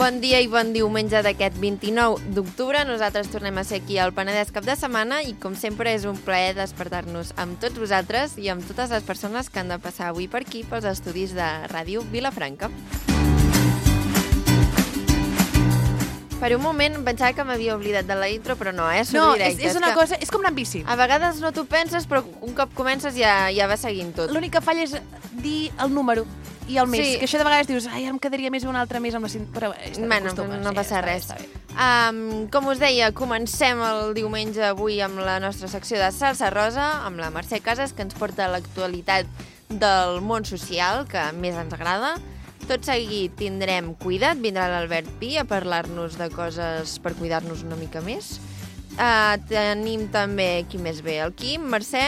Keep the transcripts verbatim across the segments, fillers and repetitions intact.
Bon dia i bon diumenge d'aquest vint-i-nou d'octubre. Nosaltres tornem a ser aquí al Penedès cap de setmana i, com sempre, és un plaer despertar-nos amb tots vosaltres i amb totes les persones que han de passar avui per aquí, pels estudis de Ràdio Vilafranca. Per un moment pensava que m'havia oblidat de la intro, però no, eh? No, és, és una cosa... És com anar amb bici. A vegades no t'ho penses, però un cop comences ja, ja va seguint tot. L'únic que falla és dir el número i el mes, Sí. que això de vegades dius, ai, ara em quedaria més un altre mes amb la cinta, però Bueno, no passa res. Um, com us deia, comencem el diumenge avui amb la nostra secció de Salsa Rosa, amb la Mercè Casas, que ens porta l'actualitat del món social, que més ens agrada. Tot seguit tindrem Cuida't, vindrà l'Albert Pi a parlar-nos de coses per cuidar-nos una mica més. Uh, tenim també, qui més ve? El Quim, Mercè,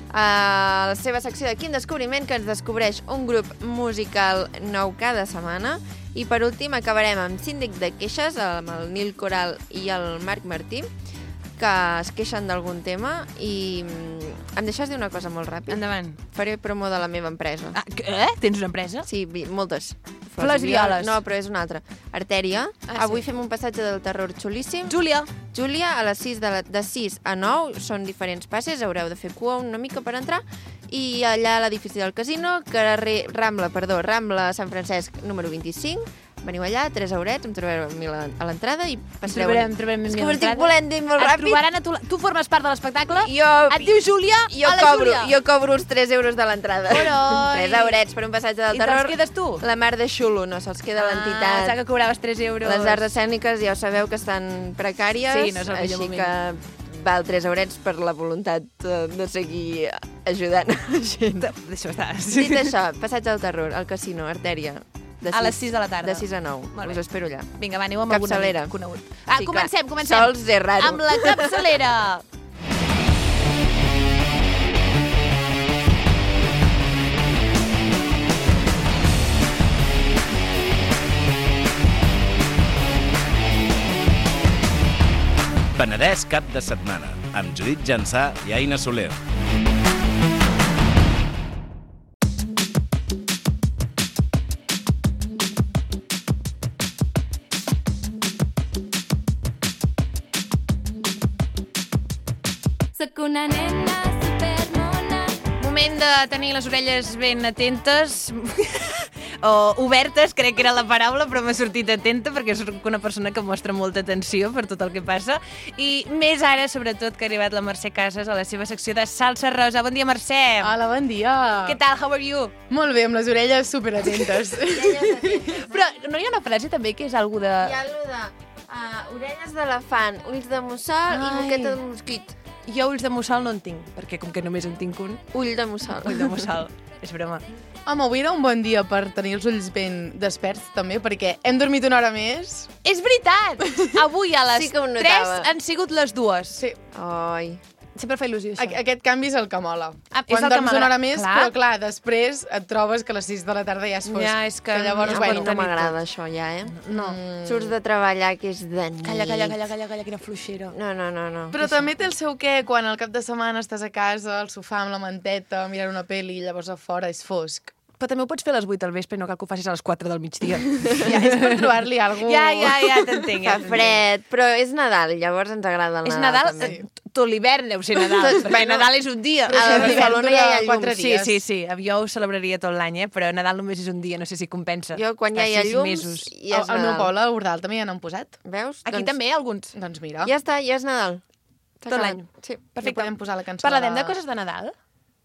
a la seva secció de Quim Descobriment, que ens descobreix un grup musical nou cada setmana. I per últim acabarem amb Síndic de Queixes, amb el Nil Coral i el Marc Martí, que es queixen d'algun tema. I em deixes dir una cosa molt ràpid? Endavant. Faré promo de la meva empresa. Ah, eh? Tens una empresa? Sí, vi- moltes. Flors violes. No, però és una altra. Artèria. Ah, Avui sí. fem un passatge del terror xulíssim. Júlia. Júlia, a les sis de, la, de sis a nou, són diferents passes, haureu de fer cua una mica per entrar, i allà a l'edifici del casino, carrer Rambla, perdó, Rambla Sant Francesc, número vint-i-cinc, veniu allà, tres eurets, em trobareu a mi la- a l'entrada i passareu... Trobarem, trobarem És mi que ho estic l'entrada. volent dir molt Et ràpid. trobaran a tu... Tu formes part de l'espectacle? Jo, Et diu Júlia? jo, a la cobro, Júlia. jo cobro els tres euros de l'entrada. Oroi. tres eurets per un passatge del I te'ls terror. quedes tu? La mar de xulo, no, se'ls queda Ah, l'entitat. pensava que cobraves tres euros. Les arts escèniques ja ho sabeu que estan precàries, Sí, no és el millor així moment. que val tres eurets per la voluntat eh, de seguir ajudant la gent. Deixa estar. Dit això, passatge del terror, al casino, Artèria. De A les sis de la tarda. De sis a nou. Molt bé. Us espero allà. Vinga, va, aneu amb Capçalera. algun amic conegut. Ah, Sí, comencem, clar, comencem. sols és raro. Amb la capçalera. Penedès cap de setmana, amb Judit Jansà i Aina Soler. Soc una nena supermona. Moment de tenir les orelles ben atentes, o obertes, crec que era la paraula, però m'ha sortit atenta perquè soc una persona que mostra molta atenció per tot el que passa. I més ara, sobretot, que ha arribat la Mercè Casas a la seva secció de Salsa Rosa. Bon dia, Mercè. Hola, bon dia. Què tal? How are you? Molt bé, amb les orelles superatentes. Però no hi ha una frase també que és algú de... Hi ha allò de uh, orelles d'elefant, ulls de mussol i Ai. boqueta de mosquit. Jo ulls de mussol no en tinc, perquè com que només en tinc un, Ull de mussol. ull de mussol. És broma. Home, avui era un bon dia per tenir els ulls ben desperts, també, perquè hem dormit una hora més. És veritat! Avui a les Sí que ho tres notava. han sigut les dues. Sí, Ai. Sempre fa il·lusió, això. a aquest canvi és el que mola. Ah, és Quan el que dorms una m'agrada. hora més, Clar. però clar, després et trobes que a les sis de la tarda ja és fosc. Ja, és que llavors, ja No, bueno, no m'agrada això ja, eh? No. Surts de treballar, que és de nit. Calla, calla, calla, calla, calla, quina fluixera. No, no, no, no. Però també té el seu què quan al cap de setmana estàs a casa, al sofà amb la manteta, mirant una pel·li i llavors a fora és fosc. Però també ho pots fer a les vuit del vespre, no cal que ho facis a les quatre del migdia. Ja, és per trobar-li alguna Ja, ja, ja t'entenc. Ja Fa fred, però és Nadal, llavors ens agrada el És Nadal. Nadal, també. eh, tot l'hivern deu ser Nadal, Tot- perquè bueno, Nadal és un dia. a Però Barcelona l'hivern ja hi ha dura quatre llums. Sí, dies. sí, sí. Jo ho celebraria tot l'any, eh? Però Nadal només és un dia, no sé si compensa. Jo, quan ja Fa hi ha sis llums, mesos. ja és Al, al meu Nadal. poble, a Ordal, també ja n'han posat. Veus? Aquí doncs, també, alguns. Doncs mira, Ja està, ja és Nadal. Tot S'ha l'any. acabat. Sí. ja podem posar la cançó Parlarem de... de coses de Nadal?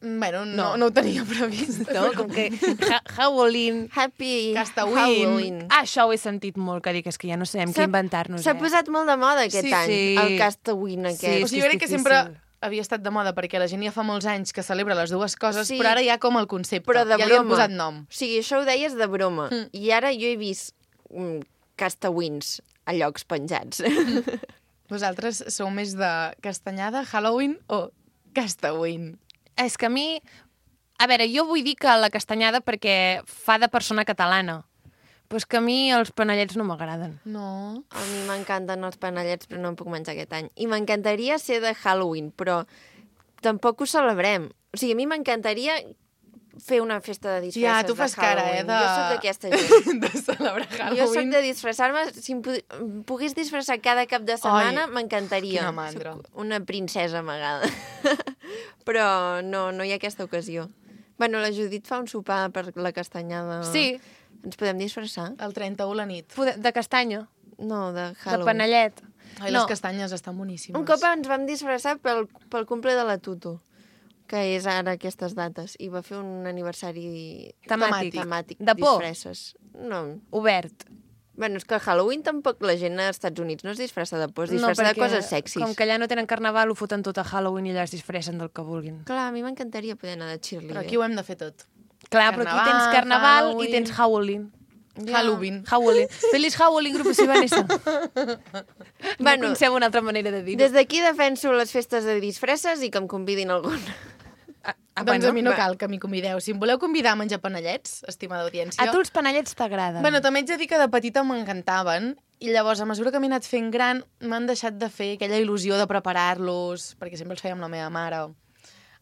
Bueno, no, No. no ho tenia previst. No, com que ha Halloween... Happy Castawin. Halloween. Ah, això ho he sentit molt, que dic, és que ja no sabem què S'ha- inventar-nos, S'ha eh? posat molt de moda aquest Sí, any, sí. el Castawin aquest. Sí, O sigui, jo és crec que difícil. sempre havia estat de moda perquè la gent ja fa molts anys que celebra les dues coses, Sí. però ara hi ha com el concepte. Però de ja li han broma. posat nom. O sigui, això ho deies de broma. Mm. I ara jo he vist mm, Castawins a llocs penjats. Vosaltres sou més de castanyada, Halloween o Castawin? És que a mi... A veure, jo vull dir que la castanyada perquè fa de persona catalana. Però és que a mi els panellets no m'agraden. No. A mi m'encanten els panellets, però no em puc menjar aquest any. I m'encantaria ser de Halloween, però tampoc ho celebrem. O sigui, a mi m'encantaria fer una festa de disfresses Ja, tu fas de cara, eh, Halloween. de... Jo soc d'aquesta gent. de celebrar Jo Halloween. soc de disfressar-me. Si em pu- em pogués disfressar cada cap de setmana, m'encantaria. quina mandra. Soc una princesa amagada. Però no, no hi ha aquesta ocasió. Bueno, la Judit fa un sopar per la castanyada. Sí, Ens podem disfressar? El trenta-u la nit. Pode- de castanya, No, de de Halloween. panellet. Ai, No. les castanyes estan boníssimes. Un cop ens vam disfressar pel, pel cumple de la Tutu, que és ara aquestes dates, i va fer un aniversari Temàtic. temàtic De por. disfresses. No. Obert. Bueno, és que a Halloween tampoc la gent als Estats Units no es disfressa de por, es disfressa no, de coses sexis. Com que allà no tenen carnaval, ho foten tot a Halloween i allà es disfressen del que vulguin. Clar, a mi m'encantaria poder anar de cheerleader. Però aquí ho hem de fer tot. Clar, però aquí Carnaval, tens carnaval Halloween. i tens Halloween. Ja. Halloween. Halloween. Feliç Halloween, grup de Vanessa. No Bueno, coneixem una altra manera de dir-ho. Des d'aquí defenso les festes de disfresses i que em convidin algun. Ah, ah, Doncs a mi no va. cal que m'hi convideu. Si em voleu convidar a menjar panellets, estimada audiència... A tu els panellets t'agraden. Bueno, també ets de dir que de petita m'encantaven i llavors, a mesura que m'he anat fent gran, m'han deixat de fer aquella il·lusió de preparar-los, perquè sempre els feia amb la meva mare.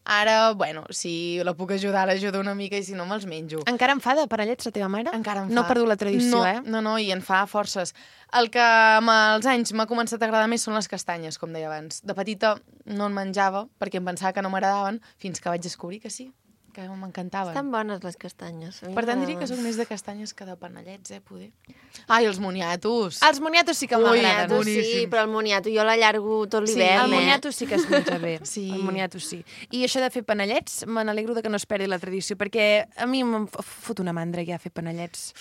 Ara, bueno, si la puc ajudar, l'ajudo una mica i si no, me'ls menjo. Encara em fa de panellets la teva mare? Encara em fa. No ha perdut la tradició, no, eh? No, no, i en fa forces. El que amb els anys m'ha començat a agradar més són les castanyes, com deia abans. De petita no en menjava perquè em pensava que no m'agradaven, fins que vaig descobrir que sí, que m'encantaven. Estan bones les castanyes. a mi Per tant, diria que m'agraden. sóc més de castanyes que de panellets, eh, poder. Ai, els moniatos. Els moniatos sí que Ui, m'agraden. Moniato sí, boníssims. però el moniato jo l'allargo tot Sí, l'hivern, El eh? moniato sí que es menja bé. Sí. El moniato sí. I això de fer panellets, me n'alegro de que no es perdi la tradició, perquè a mi em f- fot una mandra ja fer panellets.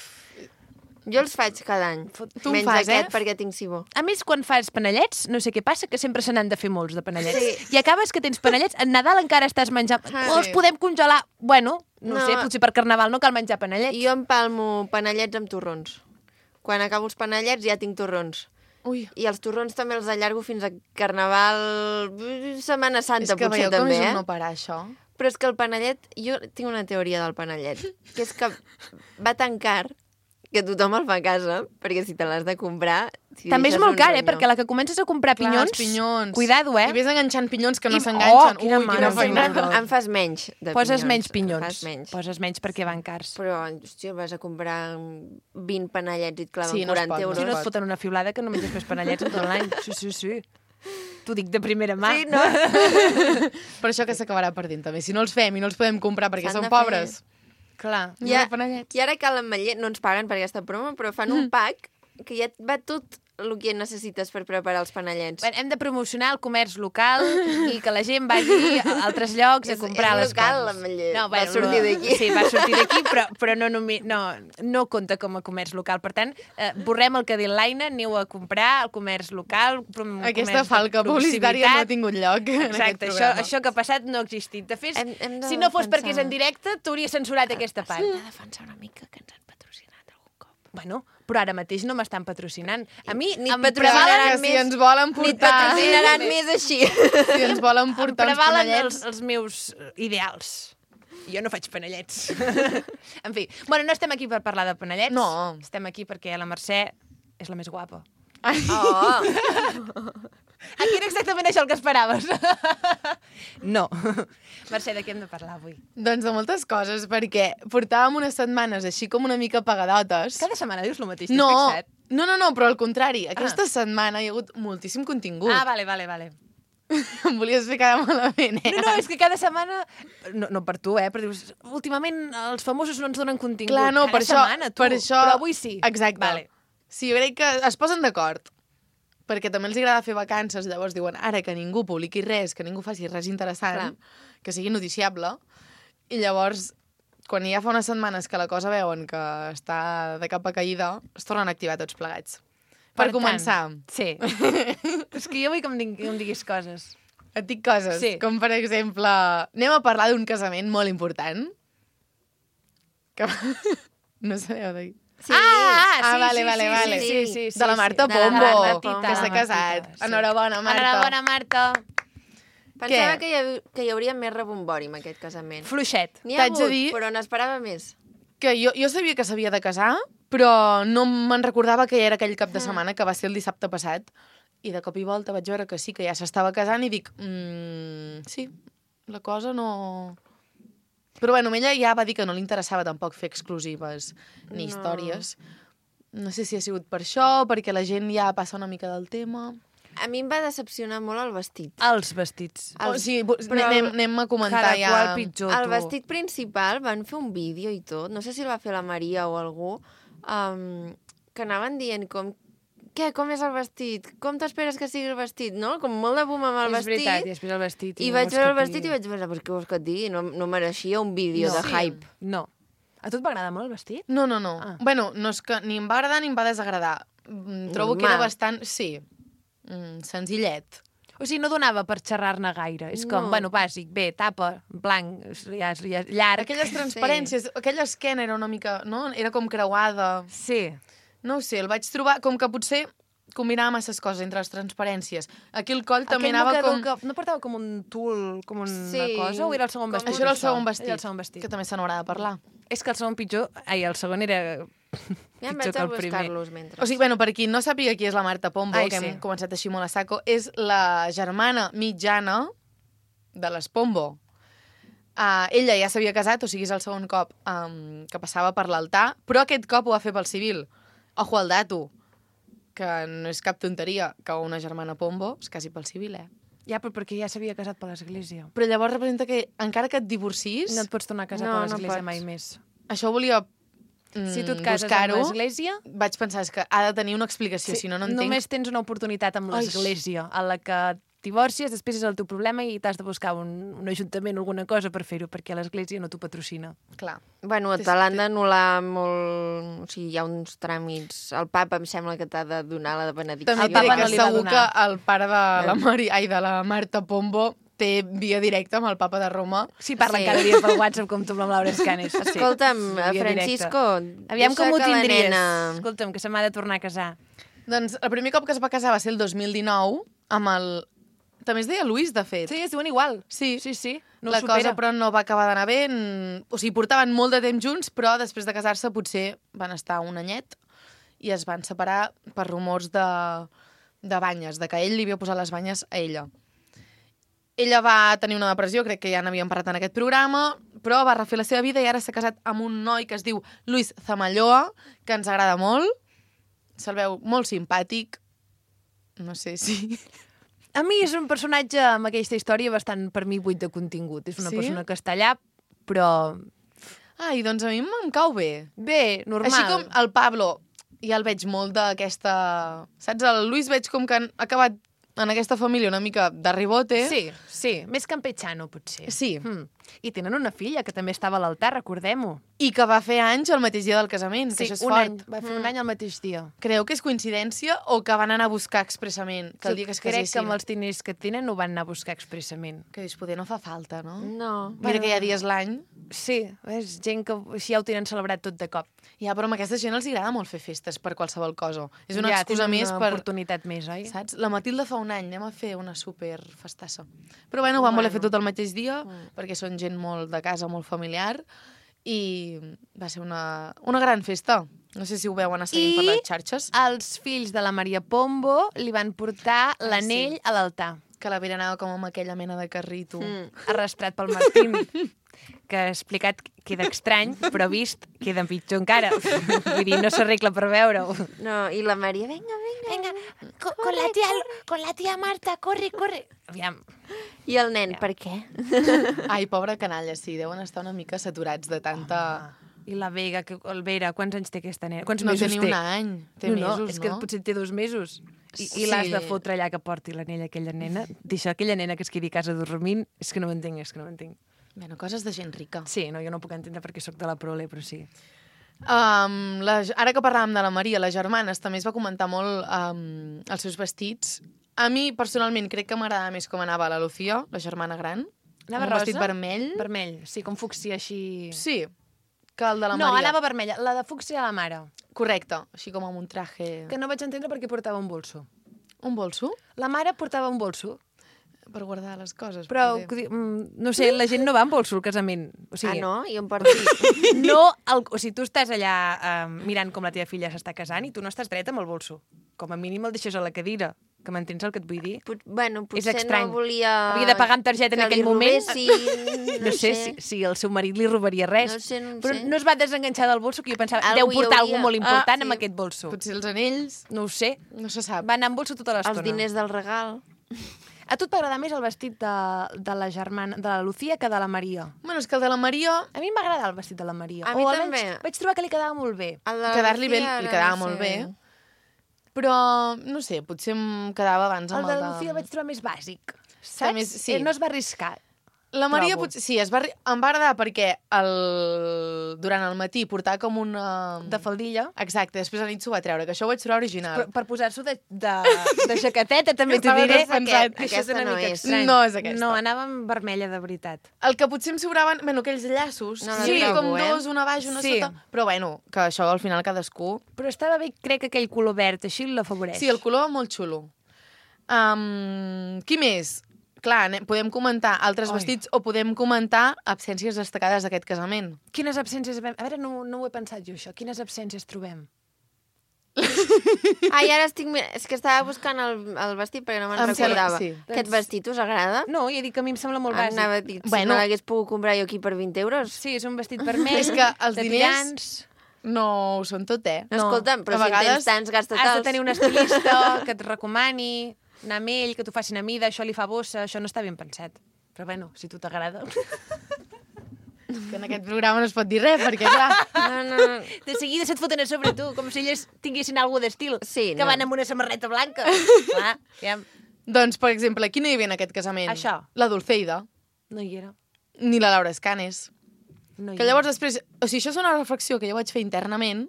Jo els faig cada any. Tu en Menys fas, eh? aquest perquè tinc sibó. A més, quan fas panellets, no sé què passa, que sempre se n'han de fer molts de panellets. Sí. I acabes que tens panellets, en Nadal encara estàs menjant... Ah, o els sí. podem congelar. Bueno, no, No. sé, potser per Carnaval no cal menjar panellets. Jo empalmo panellets amb torrons. Quan acabo els panellets ja tinc torrons. Ui, I els torrons també els allargo fins a Carnaval, Setmana Santa, és que potser veieu com també, és eh? un no parar, això. Però és que el panellet... Jo tinc una teoria del panellet, que és que va tan car que tothom el fa a casa, perquè si te l'has de comprar... Si També és deixes molt un car, eh? ronyó. Perquè a la que comences a comprar Clar, pinyons... els pinyons. Cuidado, eh? I ves enganxant pinyons que no I- s'enganxen. Oh, quina Ui, mare quina de feina. Déu. Em fas menys de Poses pinyons. menys Em pinyons. Fas menys. Poses menys perquè van cars. Però, hòstia, vas a comprar vint panellets i et claven Sí, no es quaranta pot, no euros. Si no pot. et foten una fiblada que no menges més panellets en tot l'any. Sí, sí, sí. T'ho dic de primera mà. Sí, no? Per això que s'acabarà perdent, també. Si no els fem i no els podem comprar perquè S'han som de fer. pobres. Clar. No Ja, de panellets. I ara cal ametller, no ens paguen per aquesta promo, però fan un pack que ja et va tot el que necessites per preparar els panellets. Bé, hem de promocionar el comerç local i que la gent vagi a altres llocs a És- comprar és les local, coses. l'ametller. No, Va bueno, sortir no- d'aquí. Sí, va sortir d'aquí, però, però no, només, no, no compta com a comerç local. Per tant, eh, borrem el que diu l'Aina, aneu a comprar el comerç local. Prom Aquesta comerç de falca publicitària no ha proximitat. tingut lloc en aquest Exacte, això, programa. això que ha passat no ha existit. De fet, Hem- hem de si no fos defensar. perquè és en directe, t'hauria censurat aquesta part. Hem de defensar una mica que ens han patrocinat algun cop. Bueno, però ara mateix no m'estan patrocinant. A mi Ni em et prevalen, patrocinaran que si més- ens volen Ni et portar... patrocinaran més així. Si ens volen em portar uns prevalen panellets... els, els meus eh, ideals. Jo no faig panellets. En fi, bueno, no estem aquí per parlar de panellets. No. Estem aquí perquè la Mercè és la més guapa. Ai, Oh, Aquí era exactament això el que esperaves. No. Mercè, de què hem de parlar avui? doncs de moltes coses, perquè portàvem unes setmanes així com una mica pagadotes. Cada setmana dius el mateix, No, t'has fixat? no, no, no, però al contrari. Aquesta setmana hi ha hagut moltíssim contingut. Ah, vale, vale, vale. Em volies fer cada malament, eh? No, no, és que cada setmana... No, no per tu, eh? Però dius, últimament els famosos no ens donen contingut. Clar, no, cada per això, setmana, tu. per això... Però avui sí. Exacte. Vale. Sí, jo crec que es posen d'acord, perquè també els agrada fer vacances, llavors diuen, ara que ningú publiqui res, que ningú faci res interessant, Clar. que sigui noticiable, i llavors, quan ja fa unes setmanes que la cosa veuen que està de capa caïda, es tornen a activar tots plegats. Per, tant, començar, Sí. És que jo vull que em, digui, que em diguis coses. et dic coses, Sí. com per exemple, anem a parlar d'un casament molt important, que... no sabeu de... sí. Ah, ah, sí, Ah, vale, sí, vale, sí, vale. sí, sí, sí, sí, de la Marta sí. Pombo, De la Marta Pombo. que s'ha De la casat. Martita, sí. Enhorabona, Marta. Enhorabona, Marta. Pensava Què? que hi, hav que hi hauria més rebombori amb aquest casament. Fluixet. N'hi ha T'haig de hagut, dir- però n'esperava més. Que jo, jo sabia que s'havia de casar, però no me'n recordava que ja era aquell cap de setmana, que va ser el dissabte passat. I de cop i volta vaig veure que sí, que ja s'estava casant i dic, mm, sí, la cosa no... Però bueno, ella ja va dir que no li interessava tampoc fer exclusives ni No. històries. No sé si ha sigut per això, perquè la gent ja passa una mica del tema. A mi em va decepcionar molt el vestit. Els vestits. O Els- sigui, però anem, el- anem a comentar Cada ja... qual pitjor, El tu. vestit principal van fer un vídeo i tot, no sé si el va fer la Maria o algú, um, que anaven dient com què, com és el vestit? Com t'esperes que sigui el vestit? No? Com molt de boom amb el és vestit. veritat, i després el vestit. I no vaig vols veure que el vestit et i vaig pensar, però què vols que et digui? No, no mereixia un vídeo No. de Sí. hype. No. A tu et va agradar molt el vestit? No, no, no. Ah. Bueno, no és que ni em va agradar ni em va desagradar. Mm, Trobo que era Normal. bastant... Sí, mm, senzillet. O sigui, no donava per xerrar-ne gaire. És com, No. bueno, bàsic, bé, tapa, blanc, ja, ja, llarg. Aquelles transparències, sí. aquella esquena era una mica... No? Era com creuada. Sí. No ho sé, el vaig trobar com que potser combinava masses coses entre les transparències. Aquí el coll també Aquell anava mocador com... que no portava com un tul, com una Sí, cosa, o era el segon com- vestit? Això era el segon vestit, Era el segon vestit. que també se n'haurà de parlar. És que el segon pitjor... Ai, el segon era Ja em pitjor vaig que a el primer. buscar-los mentre. O sigui, bueno, per qui no sàpiga qui és la Marta Pombo, Ai, que sí. hem començat així molt a saco, és la germana mitjana de les Pombo. Uh, ella ja s'havia casat, o sigui, és el segon cop um, que passava per l'altar, però aquest cop ho va fer pel civil. Ojo al dato, que no és cap tonteria que una germana Pombo es casi pel civil, eh? Ja, però perquè ja s'havia casat per l'església. Però llavors representa que encara que et divorcis, No et pots tornar a casar No, per no l'església pots. mai més. això volia mm, Si tu et cases amb buscar-ho. l'església, Vaig pensar és que ha de tenir una explicació, si no, no entenc. només tens una oportunitat amb Ai. l'església, a la que divorcies, després és el teu problema i t'has de buscar un, un ajuntament o alguna cosa per fer-ho, perquè l'església no t'ho patrocina. Clar. Bueno, Té- te l'han d'anul·lar molt... O sigui, hi ha uns tràmits. El papa em sembla que t'ha de donar la de benedicció. També El et papa diré no que li va segur donar. que el pare de la, Mari... Ai, de la Marta Pombo té via directa amb el papa de Roma. Sí, parla Sí. sí. cada dia pel WhatsApp com tu amb la Laura Escanes. Escolta'm, Via Francisco, directa. Aviam deixa com ho que la tindries. nena- Escolta'm, que se m'ha de tornar a casar. Doncs el primer cop que es va casar va ser el dos mil dinou amb el... També es deia Luis, de fet. Sí, es diuen igual. Sí. Sí, sí. No la ho supera. cosa, però, no va acabar d'anar bé. Mm, O sigui, portaven molt de temps junts, però després de casar-se potser van estar un anyet i es van separar per rumors de, de banyes, de que ell li havia posat les banyes a ella. Ella va tenir una depressió, crec que ja n'havíem parlat en aquest programa, però va refer la seva vida i ara s'ha casat amb un noi que es diu Luis Zamalloa, que ens agrada molt. Se'l veu molt simpàtic. No sé si... A mi és un personatge amb aquesta història bastant, per mi, buit de contingut. És una Sí? persona que està allà, però Ai, doncs a mi em cau bé. bé, normal. Així com el Pablo, ja el veig molt d'aquesta... Saps? El Luis veig com que han acabat en aquesta família una mica de ribote. Sí, sí, més campechano, potser. Sí. Mm. I tenen una filla que també estava a l'altar, recordem-ho. I que va fer anys el mateix dia del casament, que Sí, això és un fort. any. Va fer un any al mateix dia. Creu que és coincidència o que van anar a buscar expressament que el dia que es Crec que casessin? amb els diners que tenen ho van anar a buscar expressament. Que dius, poder no fa falta, no? No. Mira que hi ha dies l'any. Sí, és gent que així ja ho tenen celebrat tot de cop. Ja, però a aquesta gent els agrada molt fer festes per qualsevol cosa. És una ja, excusa tenen més una per... oportunitat més, oi? Saps? La Matilda fa un any, anem a fer una super festassa. Però bueno, ho van voler fer tot el mateix dia, Mm. perquè són gent molt de casa, molt familiar, i va ser una, una gran festa. No sé si ho veuen a seguint I- per les xarxes. Els fills de la Maria Pombo li van portar Ah, l'anell sí. a l'altar, Que la Vera anava com amb aquella mena de carrito. Mm. arrastrat pel Martín, que explicat queda estrany, però vist queda pitjor encara. Vull dir, no s'arregla per veure-ho. No, i la Maria, vinga, vinga. Venga, con, con la tía, con la tía Marta, corre, corre. Aviam, I el nen, per què? Ai, pobra canalla, sí, deuen estar una mica saturats de tanta... i la Vega, que, el Vera, quants anys té aquesta nena? Quants No té mesos ni té? un any, té no, mesos, no? És que no? potser té dos mesos. I, Sí. i l'has de fotre allà que porti l'anell a aquella nena. Deixar aquella nena que es quedi a casa dormint, és que no m'entenc, és que no m'entenc. Bueno, coses de gent rica. Sí, no, jo no puc entendre perquè sóc de la prole, però sí. Um, la, ara que parlàvem de la Maria, les germanes, també es va comentar molt um, els seus vestits. A mi, personalment, crec que m'agradava més com anava la Lucía, la germana gran. Anava amb un vestit rosa? vermell. Vermell, sí, com fúcsia així... Sí, que el de la no, Maria. anava vermella. La de fúcsia a la mare, Correcte, així com amb un traje... que no vaig entendre perquè portava un bolso. Un bolso? La mare portava un bolso, Per guardar les coses. però, poder. mm, no sé, la gent no va amb bolso al casament. O sigui, Ah, no? I on porti... no el, o sigui, tu estàs allà eh, mirant com la teva filla s'està casant i tu no estàs dreta amb el bolso. Com a mínim el deixes a la cadira. Que m'entens el que et vull dir? Pot, bueno, És potser estrany. no volia... Havia de pagar amb targeta en que aquell li moment. robessin, No, sé, si, si el seu marit li robaria res. No sé, no Però sé. no es va desenganxar del bolso, que jo pensava, Algú deu hi portar hauria. alguna molt important Ah, amb sí. aquest bolso. Potser els anells, No ho sé. no se sap. Va anar amb bolso tota l'estona. Els diners del regal. A tu t'agrada més el vestit de, de la germana, de la Lucía que de la Maria? Bueno, és que el de la Maria, A mi m'agrada el vestit de la Maria. A mi o també. Vaig, vaig trobar que li quedava molt bé. El de la quedar-li bé, Lucía li ara quedava no molt sé. bé. Però, no sé, potser em quedava abans El amb de el la de... Lucía el vaig trobar més bàsic. Saps? més- sí. Eh, No es va arriscar. La Maria trobo. potser, sí, es va, arri- em va agradar perquè el... durant el matí portava com una... De faldilla. Exacte, després a la nit s'ho va treure, que això ho vaig trobar original. Per, per posar-s'ho de, de, de jaqueteta, també t'ho Estava diré. despensat. Que això és Aquesta una no mica és. estrany. No és aquesta. No, anava amb vermella de veritat. El que potser em sobraven, bueno, aquells llaços, No no, la sí, trobo, com eh? dos, una baix, una Sí. sota, però bueno, que això al final cadascú... Però estava bé, crec que aquell color verd així l'afavoreix. Sí, el color molt xulo. Um, qui més? Clar, ne- podem comentar altres Ai. vestits o podem comentar absències destacades d'aquest casament. Quines absències... vam- A veure, no, no ho he pensat jo, això. Quines absències trobem? Ai, ara estic... mir- És que estava buscant el, el vestit perquè no me'n Em sembla- recordava. sí. Aquest Doncs- vestit us agrada? No, ja dic que a mi em sembla molt bàsic. Anava a dir, si Bueno. me l'hagués pogut comprar jo aquí per vint euros. Sí, és un vestit vermell, És que els de diners- tirants... No ho són tot, eh? No, No. escolta'm, però A si en vegades tens tants, gasta Has de tals. tenir un estilista que et recomani, anar amb ell, que t'ho facin a mida, això li fa bossa, això no està ben pensat. Però bueno, si tu t'agrada... Que en aquest programa no es pot dir res, perquè clar... No, no, no. De seguida se't foten a sobre tu, com si elles tinguessin alguna d'estil. Sí, que no. van amb una samarreta blanca. Clar, ja... Doncs, per exemple, qui no hi havia en aquest casament? Això. La Dulceida, No hi era. ni la Laura Escanes. No hi Que llavors després... O sigui, això és una reflexió que jo vaig fer internament,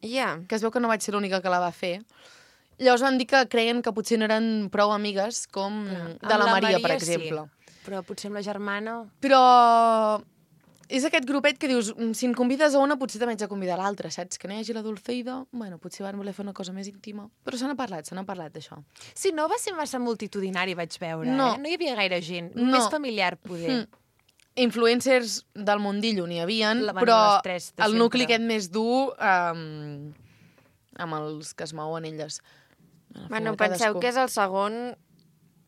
Ja. que es veu que no vaig ser l'única que la va fer. Llavors van dir que creien que potser no eren prou amigues com de Amb la, Maria, per sí. exemple. Però potser amb la germana... Però és aquest grupet que dius, "Mm, si en convides a una, potser també haig de convidar a l'altra, saps? Que no hi hagi la Dulceida, bueno, potser van voler fer una cosa més íntima. Però se n'ha parlat, se n'ha parlat d'això. Sí, no va ser massa multitudinari, vaig veure. No. Eh? No hi havia gaire gent. No. Més familiar, poder. Mm. Influencers del mundillo n'hi havien, La- bueno, però les tres de el nucli sempre. aquest més dur um, amb els que es mouen elles. Al Bueno, final, penseu cadascú. que és el segon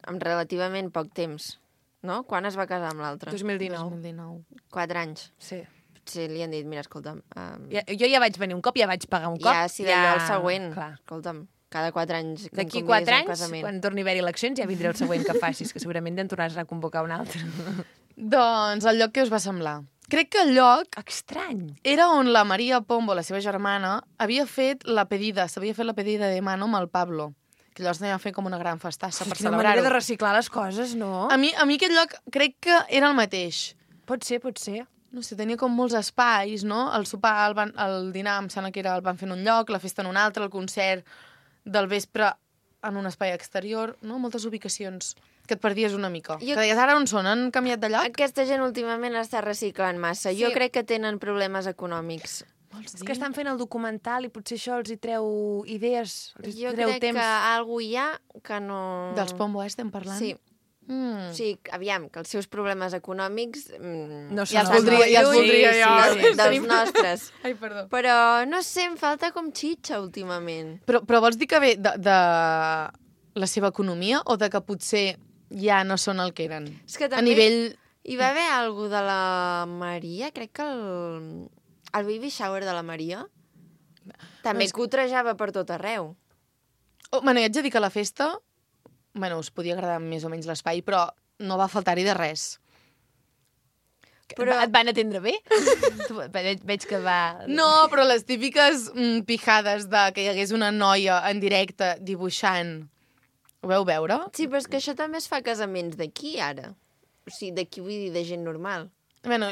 amb relativament poc temps, no? Quan es va casar amb l'altre? dos mil dinou. dos mil dinou. Quatre anys. Sí. Potser li han dit, mira, escolta'm... Um, Ja, jo ja vaig venir un cop, ja vaig pagar un cop. ja, si d'allò el següent. Clar. Escolta'm, cada quatre anys que em D'aquí convidis quatre a un anys, casament. quan torni a haver eleccions, ja vindré el següent que facis, que segurament te'n tornaràs a convocar un altre. Doncs el lloc que us va semblar? Crec que el lloc Estrany. era on la Maria Pombo, la seva germana, havia fet la pedida, s'havia fet la pedida de mano amb el Pablo, que llavors anava a fer com una gran festassa per Quina manera de celebrar-ho. reciclar les coses, no? A mi, a mi aquest lloc crec que era el mateix. Pot ser, pot ser. No sé, tenia com molts espais, no? El sopar, el, van, el dinar, em sembla que era, el van fer en un lloc, la festa en un altre, el concert del vespre en un espai exterior, no? Moltes ubicacions que et perdies una mica. Jo- Que deies, ara on són? Han canviat de lloc? Aquesta gent últimament està reciclant massa. Sí. Jo crec que tenen problemes econòmics. És que estan fent el documental i potser això els hi treu idees, els hi Jo treu crec temps. que algú hi ha que no... Dels Pombo, eh, estem parlant? Sí. Mm. O sigui, aviam, que els seus problemes econòmics... Mm, No Ja els són voldria, molt ja els lluny. voldria Sí, jo. sí, dels, dels nostres. Ai, perdó. Però, no sé, em falta com xitxa últimament. Però, però vols dir que ve de, de la seva economia o de que potser ja no són el que eren? És que A també nivell... hi va haver algú de la Maria, crec que el, el baby shower de la Maria també és- cotrejava per tot arreu. Oh, bueno, i haig de dir que a la festa, bueno, us podia agradar més o menys l'espai, però no va faltar-hi de res. Però... Et van atendre bé? Tu, veig, veig que va... No, però les típiques mm, pijades de que hi hagués una noia en directe dibuixant, ho veu veure? Sí, però és que això també es fa a casaments d'aquí, ara. O sigui, d'aquí vull dir de gent normal. Bueno,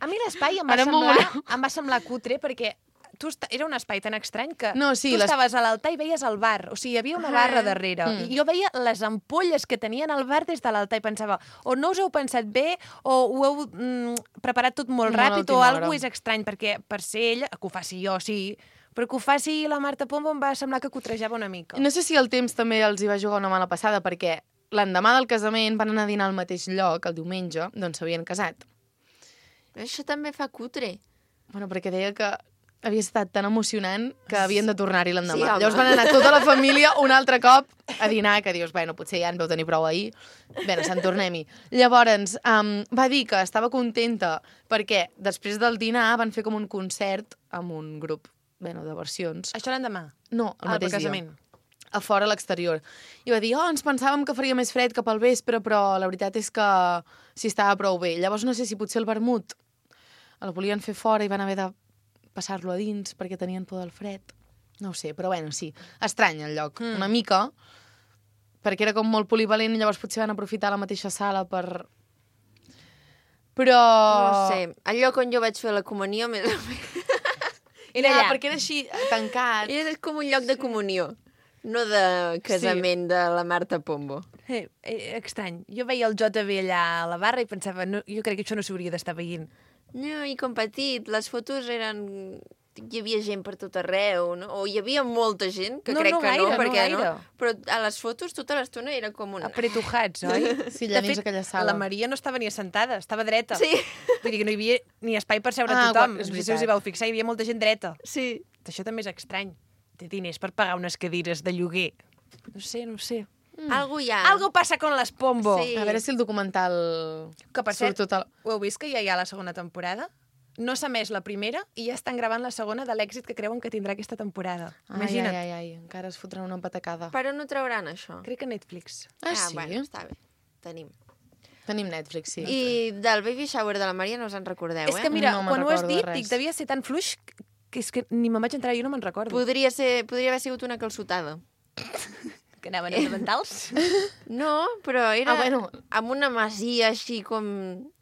A mi l'espai em, va Ara m'ho semblar, voleu. em va semblar cutre perquè tu est... era un espai tan estrany que No, sí, tu les- estaves a l'altar i veies el bar. O sigui, hi havia una Ah. barra darrere. Mm. I jo veia les ampolles que tenien al bar des de l'altar i pensava o no us heu pensat bé o ho heu mm, preparat tot molt Molt a ràpid o última alguna hora. és estrany, perquè per ser ella, que ho faci jo, sí, però que ho faci la Marta Pombo em va semblar que cotrejava una mica. no sé si el temps també els hi va jugar una mala passada, perquè l'endemà del casament van anar a dinar al mateix lloc, el diumenge, d'on s'havien casat. Això també fa cutre. Bueno, perquè deia que havia estat tan emocionant que havien de tornar-hi l'endemà. Sí, home. Llavors van anar tota la família un altre cop a dinar, que dius, bueno, potser ja en veu tenir prou ahir. Bé, se'n tornem-hi. Llavors, um, va dir que estava contenta perquè després del dinar van fer com un concert amb un grup, bueno, de versions. Això l'endemà? No, el Ah, pel mateix dia. casament. A fora, a l'exterior. I va dir, oh, ens pensàvem que faria més fred cap al vespre, però la veritat és que sí estava prou bé. Llavors no sé si potser el vermut el volien fer fora i van haver de passar-lo a dins perquè tenien por del fred. No ho sé, però bueno, sí. Estrany el lloc, mm. una mica, perquè era com molt polivalent i llavors potser van aprofitar la mateixa sala per... Però... No sé, el lloc on jo vaig fer la comunió més o menys. Era allà. ja, perquè era així, tancat. Era com un lloc de comunió, no de casament sí. de la Marta Pombo. Eh, eh, estrany. Jo veia el J B allà a la barra i pensava, no, jo crec que això no s'hauria d'estar veient. No, i com petit, les fotos eren... Hi havia gent per tot arreu, no? O hi havia molta gent, que No, crec no que gaire, no, no perquè gaire. Però a les fotos tota l'estona era com un... Apretujats, oi? Sí, De allà dins fet, aquella sala. la Maria no estava ni assentada, estava dreta. Sí. Vull dir que no hi havia ni espai per seure Ah, tothom. és No sé si veritat. us hi vau fixar, hi havia molta gent dreta. Sí. Això també és estrany. Té diners per pagar unes cadires de lloguer. No sé, no sé. Mm. Algo hi ha. Algo passa con les Pombo. Sí. A veure si el documental... Que, per cert, surt tot el... ho heu vist que ja hi ha la segona temporada? No s'ha emès la primera i ja estan gravant la segona de l'èxit que creuen que tindrà aquesta temporada. Ai, Imagina't. ai, ai, ai, encara es fotran una patacada. Per on ho trauran, això? Crec que Netflix. Ah, sí? bueno, està bé. Tenim. Tenim Netflix, sí. I del baby shower de la Maria no us en recordeu, És eh? que mira, No me'n quan ho has recordo de dit, res. dic, devia ser tan fluix que és que ni me'n vaig entrar, jo no me'n recordo. Podria, ser, podria haver sigut una calçotada. Que anaven elementals? No, però era Ah, bueno. amb una masia així com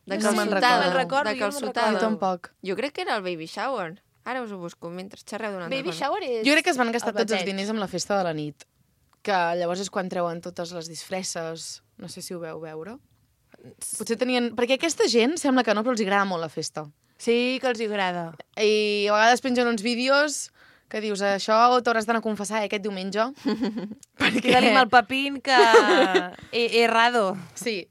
de No me'n calçotada. recordo. Me'n recordo, de jo no me'n calçotada. Jo tampoc. Jo crec que era el baby shower. Ara us ho busco, mentre xerreu d'una altra Baby cosa. shower és... Jo crec que es van gastar el tots els bateig. diners amb la festa de la nit. Que llavors és quan treuen totes les disfresses. No sé si ho veu veure. Potser tenien... Perquè aquesta gent sembla que no, però els agrada molt la festa. Sí, que els hi agrada. I a vegades pengen uns vídeos que dius, això t'hauràs d'anar a confessar eh, aquest diumenge. Perquè tenim el papín que... He, he errado. Sí.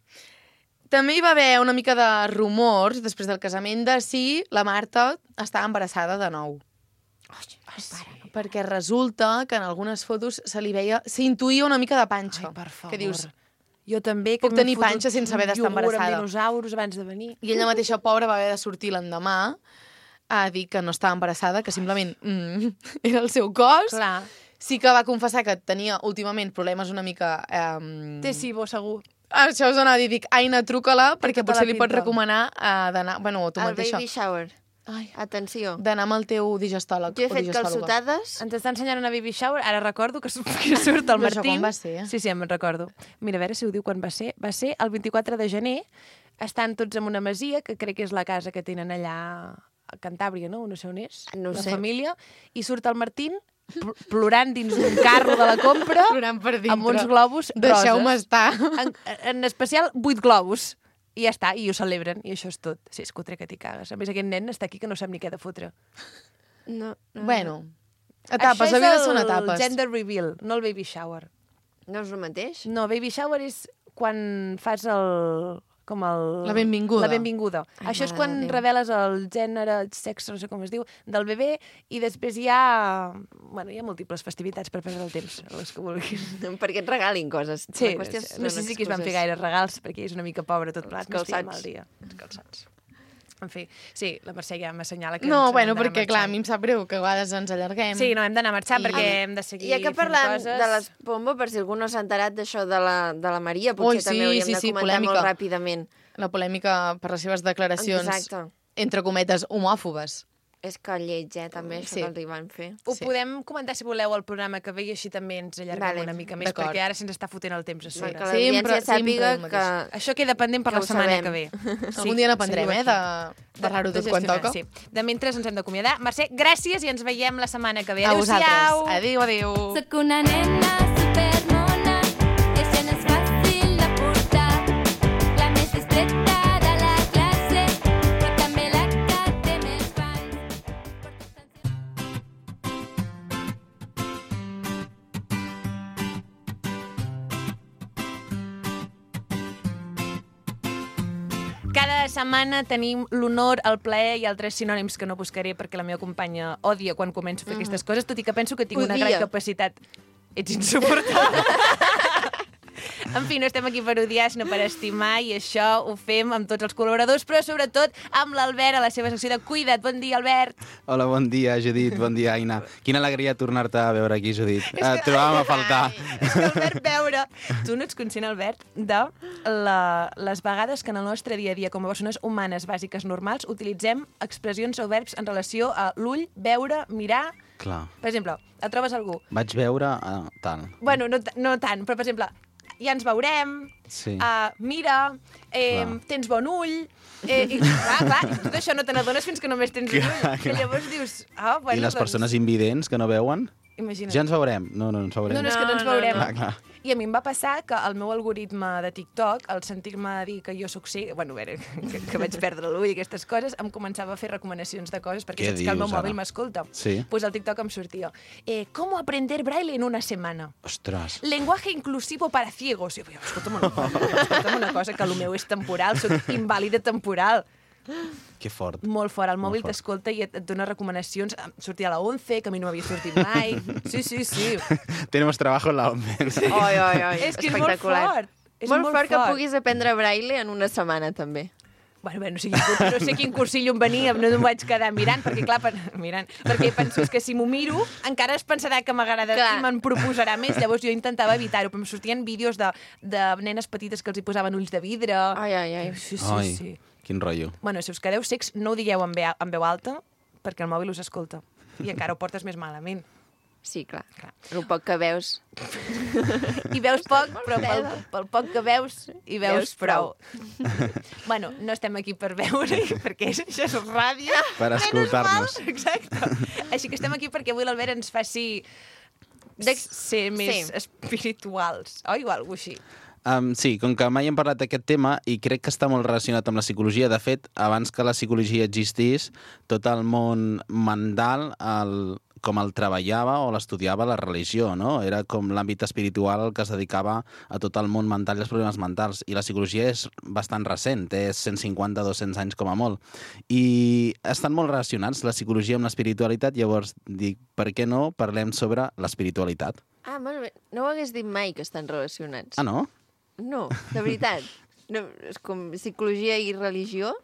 També hi va haver una mica de rumors després del casament de si la Marta estava embarassada de nou. Oh, sí. Perquè resulta que en algunes fotos se li veia... S'intuïa una mica de panxa. Ai, per favor. Que dius, Jo també, que Puc m'he tenir fotut panxa sense haver d'estar un iogurt embarassada. amb dinosaures abans de venir. I ella mateixa, pobra, va haver de sortir l'endemà a dir que no estava embarassada, que simplement mm, era el seu cos. Clar. Sí que va confessar que tenia últimament problemes una mica... Eh, Té cibo, segur. Això us anava a dir, dic, Aina, truca-la, perquè tota potser la li pots pinta. recomanar eh, d'anar... Bueno, tu El mateixa. baby shower. Ai, Atenció. d'anar amb el teu digestòleg. Jo he o fet digestòloga. calçotades. Ens està ensenyant una baby shower. Ara recordo que, su- que surt el Però això Martín. quan va ser? Sí, sí, em recordo. Mira, a veure si ho diu quan va ser. Va ser el vint-i-quatre de gener. Estan tots en una masia, que crec que és la casa que tenen allà a Cantàbria, no? No sé on és. No ho la sé. família. I surt el Martín pl- plorant dins d'un carro de la compra Plorant per dintre. amb uns globus Deixeu-me roses. estar. En, en especial, vuit globus. I ja està, i ho celebren, i això és tot. Sí, és cutre que t'hi cagues. A més, aquest nen està aquí que no sap ni què de fotre. No, no, Bueno, etapes, la vida són etapes. Això és el gender reveal, no el baby shower. no és el mateix? No, baby shower és quan fas el... com el... La benvinguda. La benvinguda. Ai, Això és mare quan de Déu. reveles el gènere, el sexe, no sé com es diu, del bebè, i després hi ha... Bueno, hi ha múltiples festivitats per perdre el temps, les que vulguis. Perquè et regalin coses. Sí, La qüestió és no sé són si aquí es van fer excuses. gaire regals, perquè és una mica pobre tot plat. Els calçats. Al dia. Els calçats. En fi, sí, la Mercè ja m'assenyala que No, ens bueno, hem d'anar perquè clar, a marxant. mi em sap greu que a vegades ens allarguem. Sí, no, hem d'anar marxant I- perquè hem de seguir Ja que fent parlant coses. de les Pombo, per si algú no s'ha enterat d'això de la, de la Maria, potser Ui, sí, també hauríem sí, de sí, comentar polèmica. molt ràpidament. La polèmica per les seves declaracions, Exacte. entre cometes, homòfobes. És que lleig, eh, també, això Sí. que els hi van fer. Ho Sí. podem comentar, si voleu, al programa que ve i així també ens allarguem Vale. una mica més, D'acord. perquè ara se'ns està fotent el temps a sobre. Que Sempre- l'audiència sàpiga sempre el que... Això queda pendent per Que la ho setmana sabem. que ve. Algun dia n'aprendrem, seguiu eh, de aquí. parlar-ho De tot quan gestionar, toca. Sí. De mentre ens hem d'acomiadar. Mercè, gràcies i ens veiem la setmana que ve. A vosaltres. Adéu-siau! Adéu, adéu. Soc una nena supermona, ella no és fàcil de portar. La més distreta de la classe, però també la que té més fans. Cada Aquesta setmana tenim l'honor, el plaer i altres sinònims que no buscaré perquè la meva companya odia quan començo a fer aquestes coses, tot i que penso que tinc una Odia. gran capacitat. Ets insuportable. En fi, no estem aquí per odiar, sinó per estimar, i això ho fem amb tots els col·laboradors, però sobretot amb l'Albert a la seva secció de Cuida't. Bon dia, Albert. Hola, bon dia, Judit, bon dia, Aina. Quina alegria tornar-te a veure aquí, Judit. Et trobàvem a faltar. És que, Albert, veure... Tu no ets conscient, Albert, de la, les vegades que en el nostre dia a dia, com a persones humanes bàsiques normals, utilitzem expressions o verbs en relació a l'ull, veure, mirar... Clar. Per exemple, et trobes algú... Vaig veure uh, tal. Bueno, no, t- no tant, però, per exemple, ja ens veurem, Sí. uh, mira, eh, Clar. tens bon ull... Eh, i, clar, clar, i tot això no te n'adones fins que només tens un ull. Clar, Que clar. llavors dius... Ah, bueno, I les doncs, persones invidents que no veuen? Imagina't. Ja ens veurem. No, no ens veurem. No, no, és que no ens No, no, veurem. no. Clar, clar. I a mi em va passar que el meu algoritme de TikTok, al sentir-me dir que jo sóc cega, bueno, a veure, que, que vaig perdre l'ull i aquestes coses, em començava a fer recomanacions de coses, perquè Què saps que el meu dius, mòbil ara? m'escolta. Sí. Pues al TikTok em sortia, eh, ¿cómo aprender braille en una semana? Ostres. Lenguaje inclusivo para ciegos. I jo, escolta'm una cosa, escolta'm una cosa, que el meu és temporal, soc invàlida temporal. Que fort. Molt fort, el mòbil fort. t'escolta i et, et dona recomanacions. Em sortia a la once, que a mi no m'havia sortit mai. Sí, sí, sí. Tenemos trabajo en la ONCE. Oi, oi, oi, És que és molt espectacular. fort. És molt, molt fort que fort. puguis aprendre braille en una setmana, també. Bueno, bé, no sé, quin, curs- no sé quin cursillo em venia, no em vaig quedar mirant, perquè clar, pen, mirant, perquè penso és que si m'ho miro, encara es pensarà que m'agrada Clar. i me'n proposarà més, llavors jo intentava evitar-ho, però em sortien vídeos de, de nenes petites que els hi posaven ulls de vidre. Ai, ai, ai. Sí, sí, Ai, sí. quin rotllo. Bueno, si us quedeu secs, no ho digueu en veu, en veu alta, perquè el mòbil us escolta. I encara ho portes més malament. Sí, clar. Clar. El poc que veus. I veus poc, però pel, pel poc que veus, hi veus, Veus prou. prou. Bueno, no estem aquí per veure, perquè això és ràdio. Per Menys escoltar-nos. mal, exacte. Així que estem aquí perquè avui l'Albert ens faci de ser més Sí. espirituals, oi? O alguna així. Um, sí, com que mai hem parlat d'aquest tema i crec que està molt relacionat amb la psicologia. De fet, abans que la psicologia existís, tot el món mental, el, com el treballava o l'estudiava la religió, no? Era com l'àmbit espiritual el que es dedicava a tot el món mental i els problemes mentals. I la psicologia és bastant recent, té cent cinquanta a dos-cents anys com a molt. I estan molt relacionats, la psicologia amb l'espiritualitat, llavors dic, per què no parlem sobre l'espiritualitat? Ah, molt bé. No ho hagués dit mai que estan relacionats. Ah, no? No, de veritat. No, és com psicologia i religió.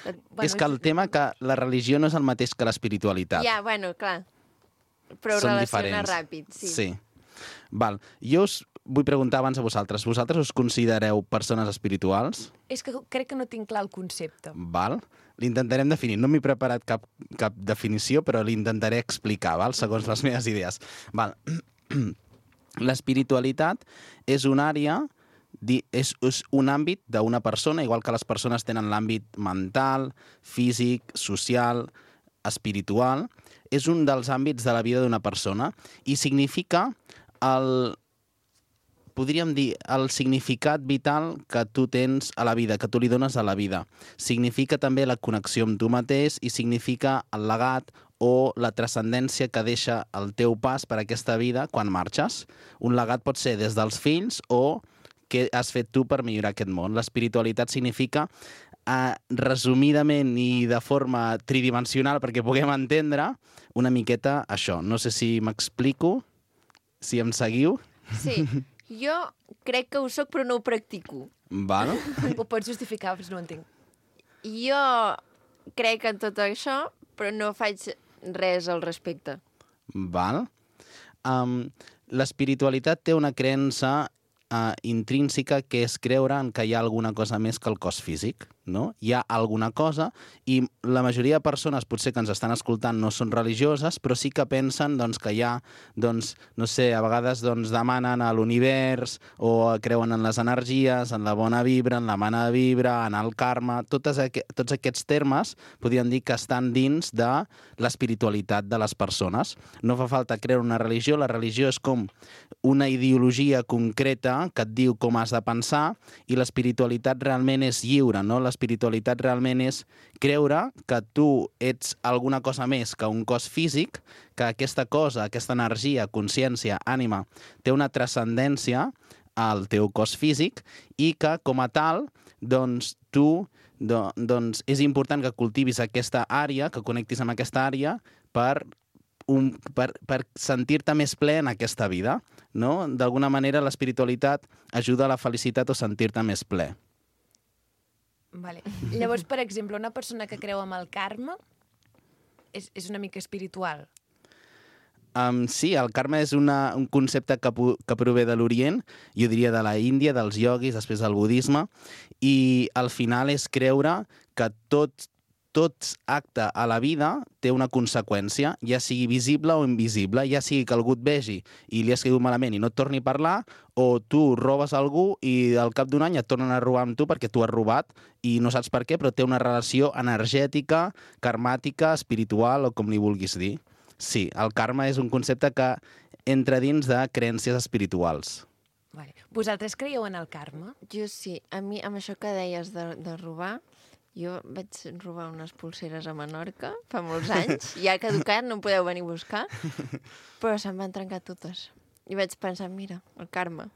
Bueno, És que el tema que la religió no és el mateix que l'espiritualitat. Ja, bueno, clar. Però ho Són relaciona diferents. ràpid, sí. Sí. Val. Jo us vull preguntar abans a vosaltres. Vosaltres us considereu persones espirituals? És que crec que no tinc clar el concepte. Val. L'intentarem definir. No m'he preparat cap, cap definició, però l'intentaré explicar, val? Segons les meves idees. Val. L'espiritualitat és una àrea, di- és, és un àmbit d'una persona, igual que les persones tenen l'àmbit mental, físic, social, espiritual. És un dels àmbits de la vida d'una persona i significa el, podríem dir, el significat vital que tu tens a la vida, que tu li dones a la vida. Significa també la connexió amb tu mateix i significa el legat o la transcendència que deixa el teu pas per aquesta vida quan marxes. Un legat pot ser des dels fills o què has fet tu per millorar aquest món. L'espiritualitat significa, eh, resumidament i de forma tridimensional, perquè puguem entendre una miqueta això. No sé si m'explico, si em seguiu. Sí. Jo crec que ho soc, però no ho practico. Val? Ho pots justificar, però no ho entenc. Jo crec en tot això, però no faig res al respecte. Val? Um, l'espiritualitat té una creença uh, intrínseca que és creure en que hi ha alguna cosa més que el cos físic, no? Hi ha alguna cosa i la majoria de persones potser que ens estan escoltant no són religioses, però sí que pensen doncs, que hi ha, doncs, no sé, a vegades doncs, demanen a l'univers o creuen en les energies, en la bona vibra, en la mala vibra, en el karma. Totes aqu tots aquests termes podríem dir que estan dins de l'espiritualitat de les persones. No fa falta creure una religió, la religió és com una ideologia concreta que et diu com has de pensar i l'espiritualitat realment és lliure, no? L'espiritualitat realment és creure que tu ets alguna cosa més que un cos físic, que aquesta cosa, aquesta energia, consciència, ànima, té una transcendència al teu cos físic i que, com a tal, doncs tu Do, doncs és important que cultivis aquesta àrea, que connectis amb aquesta àrea per, un, per, per sentir-te més ple en aquesta vida, no? D'alguna manera l'espiritualitat ajuda a la felicitat o sentir-te més ple. Vale. Llavors, per exemple, una persona que creu amb el karma és, és una mica espiritual. Um, sí, el karma és una, un concepte que, que prové de l'Orient, jo diria de la Índia, dels ioguis, després del budisme, i al final és creure que tot, tot acte a la vida té una conseqüència, ja sigui visible o invisible, ja sigui que algú et vegi i li has caigut malament i no et torni a parlar, o tu robes algú i al cap d'un any et tornen a robar amb tu perquè tu has robat i no saps per què, però té una relació energètica, karmàtica, espiritual o com li vulguis dir. Sí, el karma és un concepte que entra dins de creences espirituals. Vale. Vosaltres creieu en el karma? Jo sí. A mi, amb això que deies de, de robar, jo vaig robar unes pulseres a Menorca fa molts anys. Ja ha caducat, no em podeu venir a buscar. Però se'm van trencar totes. I vaig pensar, mira, el karma.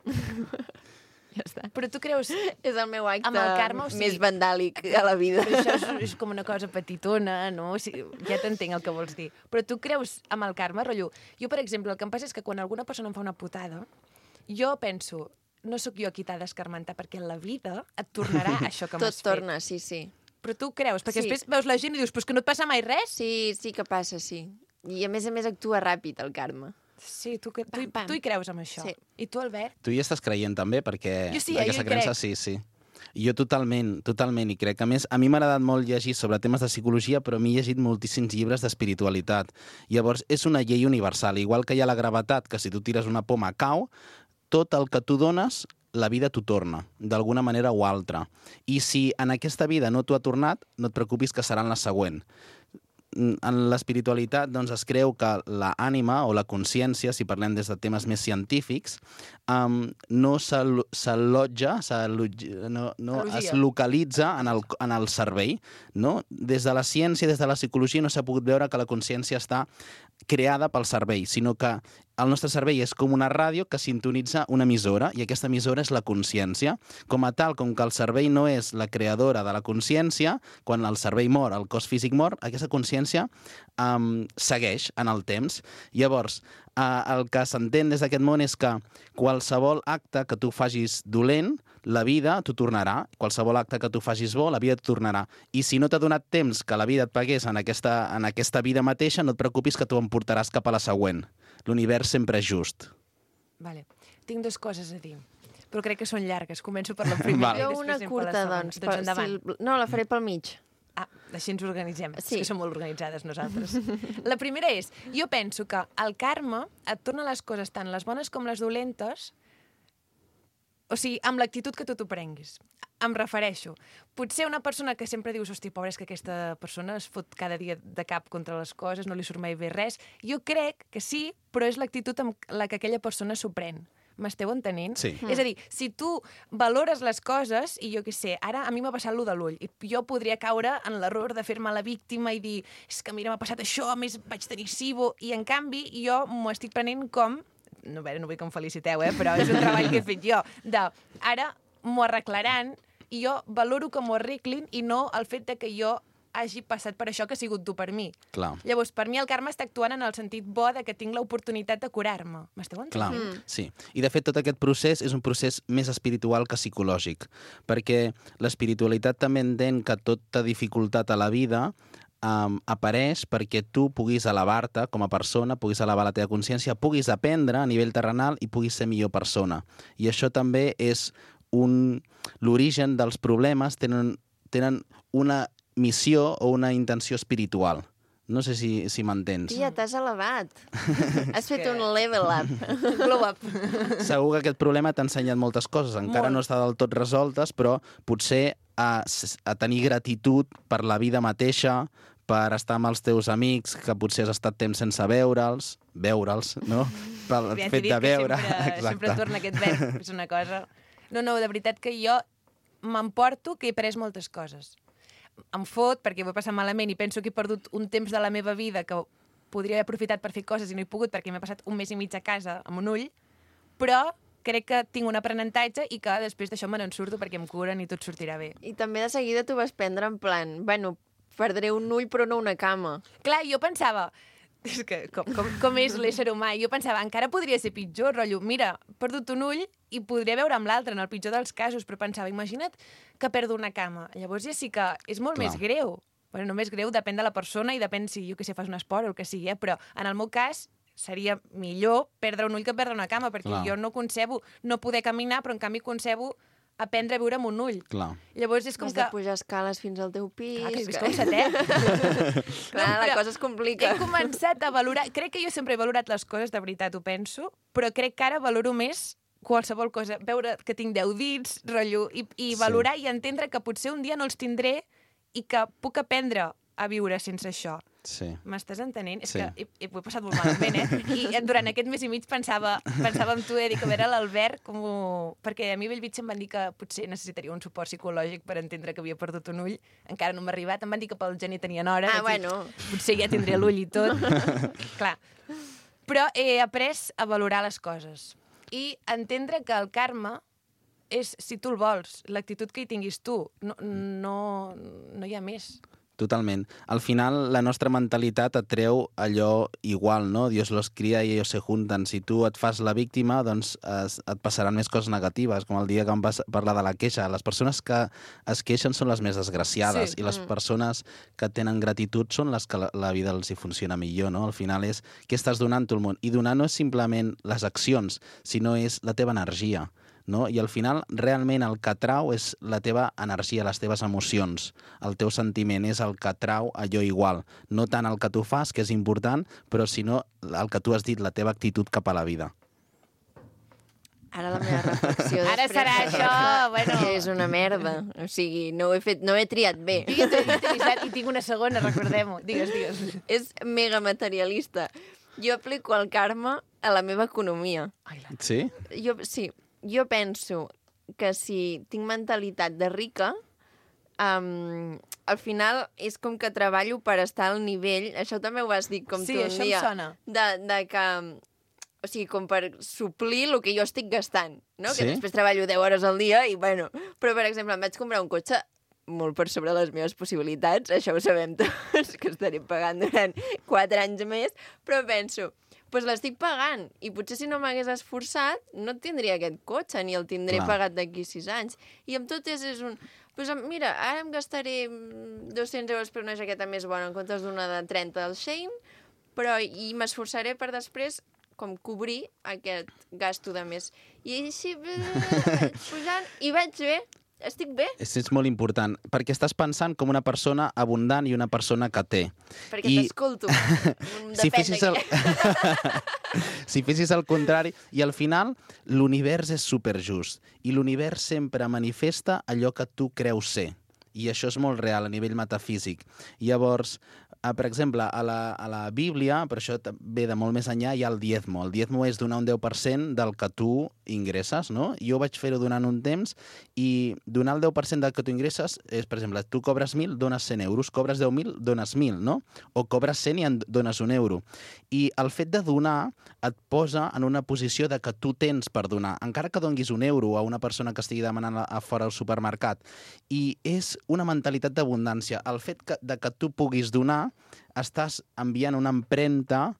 Ja està. Però tu creus... És el meu acte Amb el karma, o sigui, més vandàlic a la vida. Però això és, és com una cosa petitona, no? O sigui, ja t'entenc el que vols dir. Però tu creus amb el karma, rotllo? Jo, per exemple, el que em passa és que quan alguna persona em fa una putada, jo penso, no sóc jo qui t'ha d'escarmentar, perquè en la vida et tornarà això que m'has Tot torna, sí, sí. Però tu creus? Perquè Sí. després veus la gent i dius, però és que no et passa mai res? Sí, sí que passa, sí. I a més a més actua ràpid, el karma. Sí, tu, que, tu, Pam, pam. tu hi creus amb això. Sí. I tu, Albert? Tu hi estàs creient també, perquè Jo sí, eh, aquesta jo hi creença, crec. sí, sí. Jo totalment, totalment hi crec. A més, a mi m'ha agradat molt llegir sobre temes de psicologia, però m'he llegit moltíssims llibres d'espiritualitat. Llavors, és una llei universal. Igual que hi ha la gravetat, que si tu tires una poma cau, tot el que tu dones, la vida t'ho torna, d'alguna manera o altra. I si en aquesta vida no t'ho ha tornat, no et preocupis que serà en la següent. En l'espiritualitat doncs, es creu que l'ànima o la consciència, si parlem des de temes més científics, um, no s'allotja, no, no Elogia. es localitza en el, en el cervell. No? Des de la ciència, des de la psicologia, no s'ha pogut veure que la consciència està creada pel cervell, sinó que el nostre cervell és com una ràdio que sintonitza una emissora, i aquesta emissora és la consciència. Com a tal, com que el cervell no és la creadora de la consciència, quan el cervell mor, el cos físic mor, aquesta consciència um, segueix en el temps. Llavors, uh, el que s'entén des d'aquest món és que qualsevol acte que tu facis dolent, la vida t'ho tornarà. Qualsevol acte que tu facis bo, la vida t'ho tornarà. I si no t'ha donat temps que la vida et pagués en aquesta, en aquesta vida mateixa, no et preocupis que tu em portaràs cap a la següent. L'univers sempre és just. Vale. Tinc dues coses a dir, però crec que són llargues. Començo per la primera. Vale. i Jo després una anem per la curta, segona. doncs. Doncs per- endavant. si, no, la faré pel mig. Ah, així ens organitzem. Sí. És que som molt organitzades nosaltres. La primera és, jo penso que el karma et torna les coses tant les bones com les dolentes, o sigui, amb l'actitud que tu t'ho prenguis. Em refereixo. Potser una persona que sempre dius, hosti, pobra, és que aquesta persona es fot cada dia de cap contra les coses, no li surt mai bé res. Jo crec que sí, però és l'actitud amb la que aquella persona s'ho pren. M'esteu entenent? Sí. És a dir, si tu valores les coses, i jo què sé, ara a mi m'ha passat lo de l'ull, i jo podria caure en l'error de fer-me la víctima i dir, és que mira, m'ha passat això, a més vaig tenir SIBO, i en canvi jo m'ho estic prenent com, no, bé, no vull que em feliciteu, eh, però és un treball que he fet jo, de ara m'ho arreglaran, i jo valoro que m'ho arreglin i no el fet de que jo hagi passat per això que ha sigut dur per mi. Clar. Llavors, per mi el karma està actuant en el sentit bo de que tinc l'oportunitat de curar-me. M'esteu Clar, entenent? sí. I de fet tot aquest procés és un procés més espiritual que psicològic, perquè l'espiritualitat també entén que tota dificultat a la vida um, apareix perquè tu puguis elevar-te com a persona, puguis elevar la teva consciència, puguis aprendre a nivell terrenal i puguis ser millor persona. I això també és un... l'origen dels problemes tenen, tenen una missió o una intenció espiritual. No sé si, si m'entens. Tia, t'has elevat. Has fet que- un level up. Glow up. Segur que aquest problema t'ha ensenyat moltes coses. Encara Molt. no està del tot resoltes, però potser a, a tenir gratitud per la vida mateixa, per estar amb els teus amics, que potser has estat temps sense veure'ls, veure'ls, no? Pel Ja t'he fet dit de que veure. Sempre, sempre torna aquest verb, és una cosa... No, no, de veritat que jo m'emporto que he pres moltes coses. Em fot perquè ho he passat malament i penso que he perdut un temps de la meva vida que podria haver aprofitat per fer coses i no he pogut perquè m'he passat un mes i mig a casa amb un ull, però crec que tinc un aprenentatge i que després d'això me n'en surto perquè em curen i tot sortirà bé. I també de seguida t'ho vas prendre en plan, bueno, perdré un ull però no una cama. Clar, jo pensava, és que com, com, com és l'ésser humà, jo pensava, encara podria ser pitjor, rotllo, mira, he perdut un ull i podria veure amb l'altre, en el pitjor dels casos, però pensava, imagina't que perdo una cama. Llavors ja sí que és molt Clar. més greu. Bueno, no més greu, depèn de la persona i depèn si, jo que sé, fas un esport o el que sigui, eh? Però en el meu cas seria millor perdre un ull que perdre una cama, perquè Clar. jo no concebo no poder caminar, però en canvi concebo aprendre a viure amb un ull. Clar. Llavors és com Has que... de pujar escales fins al teu pis... Clar, que he vist com setè. Clar, la Però cosa es complica. He començat a valorar... Crec que jo sempre he valorat les coses, de veritat, ho penso, però crec que ara valoro més qualsevol cosa. Veure que tinc deu dits, rotllo, i, i Sí. valorar i entendre que potser un dia no els tindré i que puc aprendre a viure sense això. Sí. M'estàs entenent? És Sí. que he, he, ho he passat molt malament, eh? I durant aquest mes i mig pensava, pensava en tu, eh? Dic, a veure l'Albert, com ho... Perquè a mi a Bellvitge em van dir que potser necessitaria un suport psicològic per entendre que havia perdut un ull. Encara no m'ha arribat. Em van dir que pel gener tenien hora. Ah, Vaig dir, bueno. potser ja tindré l'ull i tot. Clar. Però he après a valorar les coses. I entendre que el karma és, si tu el vols, l'actitud que hi tinguis tu. No, no, no hi ha més. Totalment. Al final, la nostra mentalitat atreu allò igual, no? Dios los cría y ellos se juntan. Si tu et fas la víctima, doncs es, et passaran més coses negatives, com el dia que vam pas- parlar de la queixa. Les persones que es queixen són les més desgraciades Sí. i les persones que tenen gratitud són les que la, la vida els hi funciona millor, no? Al final és què estàs donant tu al món. I donar no és simplement les accions, sinó és la teva energia. No? I al final, realment, el que trau és la teva energia, les teves emocions. El teu sentiment és el que trau allò igual. No tant el que tu fas, que és important, però sinó el que tu has dit, la teva actitud cap a la vida. Ara la meva reflexió Ara després serà d'aquesta això, bueno. és una merda. O sigui, no ho he, fet, no ho he triat bé. I, i, i tinc una segona, recordem-ho. Digues, digues. És mega materialista. Jo aplico el karma a la meva economia. Ai, la... Sí? Jo, sí, jo penso que si tinc mentalitat de rica, um, al final és com que treballo per estar al nivell, això també ho vas dir com Sí, tu un això em dia, sona. de, de que, o sigui, com per suplir el que jo estic gastant, no? Sí? Que després treballo deu hores al dia i, bueno, però, per exemple, em vaig comprar un cotxe molt per sobre les meves possibilitats, això ho sabem tots, que estaré pagant durant quatre anys més, però penso, doncs l'estic pagant, i potser si no m'hagués esforçat no tindria aquest cotxe, ni el tindré Clar. pagat d'aquí sis anys. I amb tot és, és un... Pues, mira, ara em gastaré dos-cents euros per una jaqueta més bona en comptes d'una de trenta del Shein, però i m'esforçaré per després com cobrir aquest gasto de més. I així, eh, pujant, i vaig bé, estic bé, És, és molt important, perquè estàs pensant com una persona abundant i una persona que té. perquè I- t'escolto. Si Depèn fessis de el... què. si fessis el contrari, i al final l'univers és superjust, i l'univers sempre manifesta allò que tu creus ser, i això és molt real a nivell metafísic. Llavors, eh, per exemple, a la, a la Bíblia, per això ta- ve de molt més enllà, hi ha el diezmo. El diezmo és donar un deu per cent del que tu ingresses, no? Jo vaig fer-ho durant un temps, i donar el deu per cent del que tu ingresses és, per exemple, tu cobres mil, dones cent euros, cobres deu mil, dones mil, no? O cobres cent i en dones un euro. I el fet de donar et posa en una posició de que tu tens per donar, encara que donguis un euro a una persona que estigui demanant a, a fora al supermercat. I és una mentalitat d'abundància. El fet que, de que tu puguis donar, estàs enviant una empremta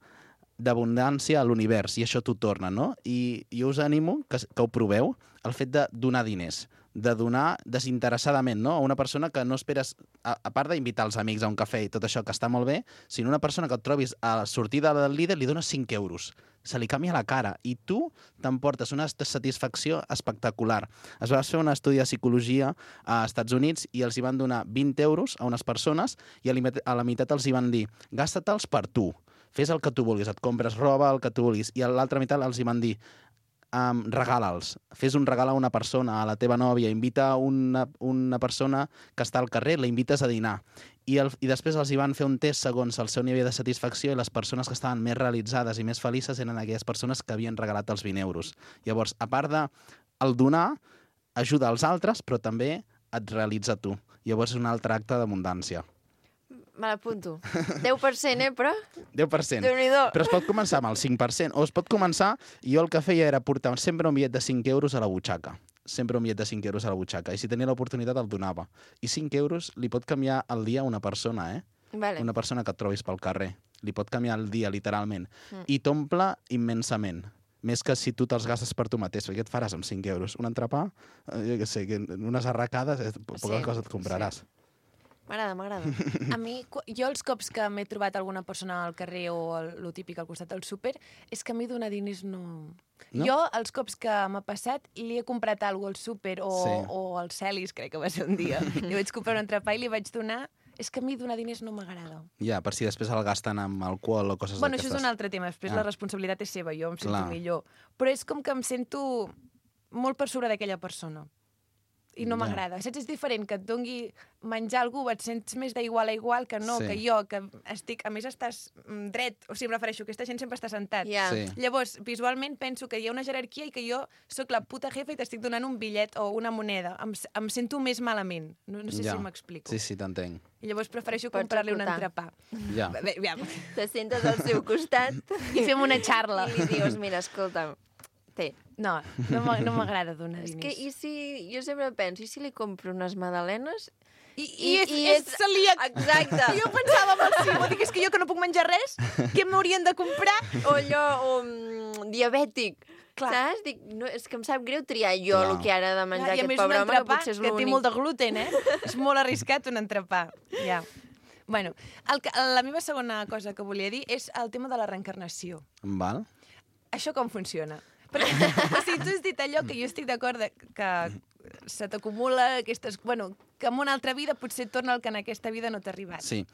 d'abundància a l'univers, i això t'ho torna, no? I jo us animo que, que ho proveu, el fet de donar diners, de donar desinteressadament, no? A una persona que no esperes, a, a part d'invitar els amics a un cafè i tot això, que està molt bé, sinó una persona que et trobis a la sortida del líder li dones cinc euros. Se li canvia la cara i tu t'emportes una satisfacció espectacular. Es va fer un estudi de psicologia a Estats Units i els hi van donar vint euros a unes persones i a la meitat- a la meitat els hi van dir gasta-te'ls per tu, fes el que tu vulguis, et compres roba, el que tu vulguis, i a l'altra meitat els hi van dir um, regala'ls, fes un regal a una persona, a la teva nòvia, invita una, una persona que està al carrer, la invites a dinar. I, el, I després els hi van fer un test segons el seu nivell de satisfacció i les persones que estaven més realitzades i més felices eren aquelles persones que havien regalat els vint euros. Llavors, a part de el donar, ajuda als altres, però també et realitza tu. Llavors és un altre acte d'abundància. Me l'apunto. deu per cent, eh, però? deu per cent. Déu-n'hi-do. Però es pot començar amb el cinc per cent, o es pot començar, i jo el que feia era portar sempre un bitllet de cinc euros a la butxaca. Sempre un bitllet de cinc euros a la butxaca. I si tenia l'oportunitat el donava. I cinc euros li pot canviar el dia a una persona, eh? Vale. Una persona que et trobis pel carrer. Li pot canviar el dia, literalment. Mm. I t'omple immensament. Més que si tu te'ls gastes per tu mateix. Perquè què et faràs amb cinc euros? Un entrepà? Eh, jo què sé, que unes arracades, eh, poca Sí, cosa et compraràs. M'agrada, m'agrada. A mi, cu- jo els cops que m'he trobat alguna persona al carrer o el, lo típic al costat del súper, és que a mi donar diners no... No? Jo, els cops que m'ha passat, li he comprat alguna cosa al súper o, Sí. o al Celis, crec que va ser un dia. Li vaig comprar un entrepà i li vaig donar... És que a mi donar diners no m'agrada. Ja, per si després el gasten amb alcohol o coses Bueno, això d'aquestes. és un altre tema. Després Ah. la responsabilitat és seva, jo em sento Clar. millor. Però és com que em sento molt per sobre d'aquella persona. I no Ja. m'agrada. Saps? És diferent que et dongui menjar a algú, et sents més d'igual a igual que no, Sí. que jo, que estic... A més, estàs mm, dret. O sigui, em refereixo, aquesta gent sempre està sentat. Ja. Sí. Llavors, visualment penso que hi ha una jerarquia i que jo sóc la puta jefa i t'estic donant un bitllet o una moneda. Em, s- em sento més malament. No, no sé Ja. si m'explico. Sí, sí, t'entenc. I llavors prefereixo Pots comprar-li un acotar. entrepà. Ja. Bé, bé, Te sentes al seu costat I fem una xarra. i li dius, mira, escolta'm, té. No, no m'a- no m'agrada donar És diners. que, i si, jo sempre penso, i si li compro unes magdalenes? I, I- i, és, i és és- celíac. Exacte. Jo pensava amb el Simó, dic, és que jo que no puc menjar res, què m'haurien de comprar? O allò, o mm, diabètic. Clar. Saps? Dic, no, és que em sap greu triar jo Clar. el que ara de menjar I a aquest més un pobre home, que entrepà potser és que té l'únic. molt de gluten, eh? És molt arriscat un entrepà. Ja. Bueno, el que, la meva segona cosa que volia dir és el tema de la reencarnació. Val? Això com funciona? Perquè, o sigui, tu has dit allò que jo estic d'acord de- que se t'acumula aquestes... Bueno, que en una altra vida potser torna el que en aquesta vida no t'ha arribat. Sí.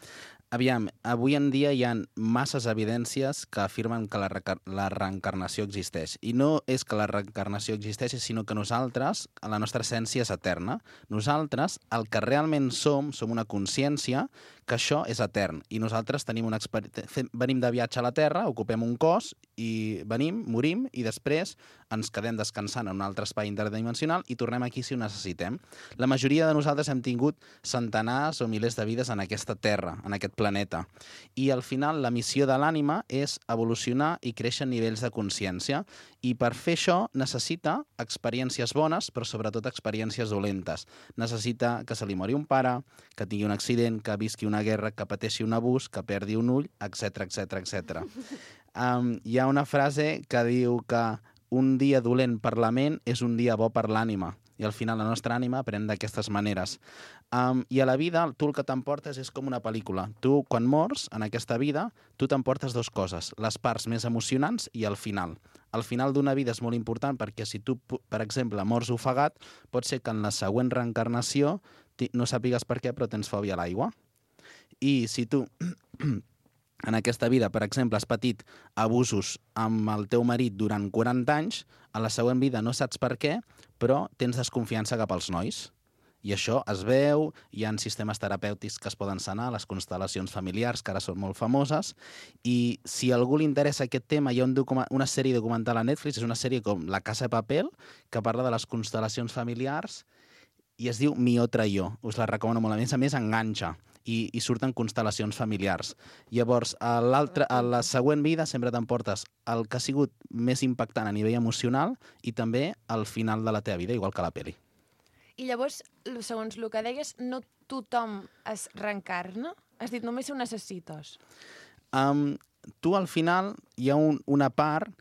Aviam, avui en dia hi ha masses evidències que afirmen que la, reca- la reencarnació existeix. I no és que la reencarnació existeixi, sinó que nosaltres, la nostra essència és eterna. Nosaltres, el que realment som, som una consciència que això és etern. I nosaltres tenim una experi- fem- venim de viatge a la Terra, ocupem un cos, i venim, morim, i després ens quedem descansant en un altre espai interdimensional i tornem aquí si ho necessitem. La majoria de nosaltres hem tingut centenars o milers de vides en aquesta Terra, en aquest planeta. I al final la missió de l'ànima és evolucionar i créixer en nivells de consciència. I per fer això necessita experiències bones, però sobretot experiències dolentes. Necessita que se li mori un pare, que tingui un accident, que visqui una guerra, que pateixi un abús, que perdi un ull, etc etc etc. Um, hi ha una frase que diu que un dia dolent per la ment és un dia bo per l'ànima. I al final la nostra ànima aprèn d'aquestes maneres. Um, I a la vida, tu el que t'emportes és com una pel·lícula. Tu, quan mors, en aquesta vida, tu t'emportes dues coses, les parts més emocionants i el final. El final d'una vida és molt important perquè si tu, per exemple, mors ofegat, pot ser que en la següent reencarnació ti- no sàpigues per què, però tens fòbia a l'aigua. I si tu en aquesta vida, per exemple, has patit abusos amb el teu marit durant quaranta anys, a la següent vida no saps per què, però tens desconfiança cap als nois. I això es veu, hi ha sistemes terapèutics que es poden sanar, les constel·lacions familiars, que ara són molt famoses, i si a algú li interessa aquest tema, hi ha un documa- una sèrie documental a Netflix, és una sèrie com La Casa de Papel, que parla de les constel·lacions familiars, i es diu Mi otra yo. Us la recomano molt. A més a més, enganxa. I, i surten constel·lacions familiars. Llavors, a, l'altra, a la següent vida sempre t'emportes el que ha sigut més impactant a nivell emocional i també al final de la teva vida, igual que la peli. I llavors, lo- segons el que deies, no tothom es reencarna? Has dit, només ho necessites. Um, tu, al final, hi ha un, una part...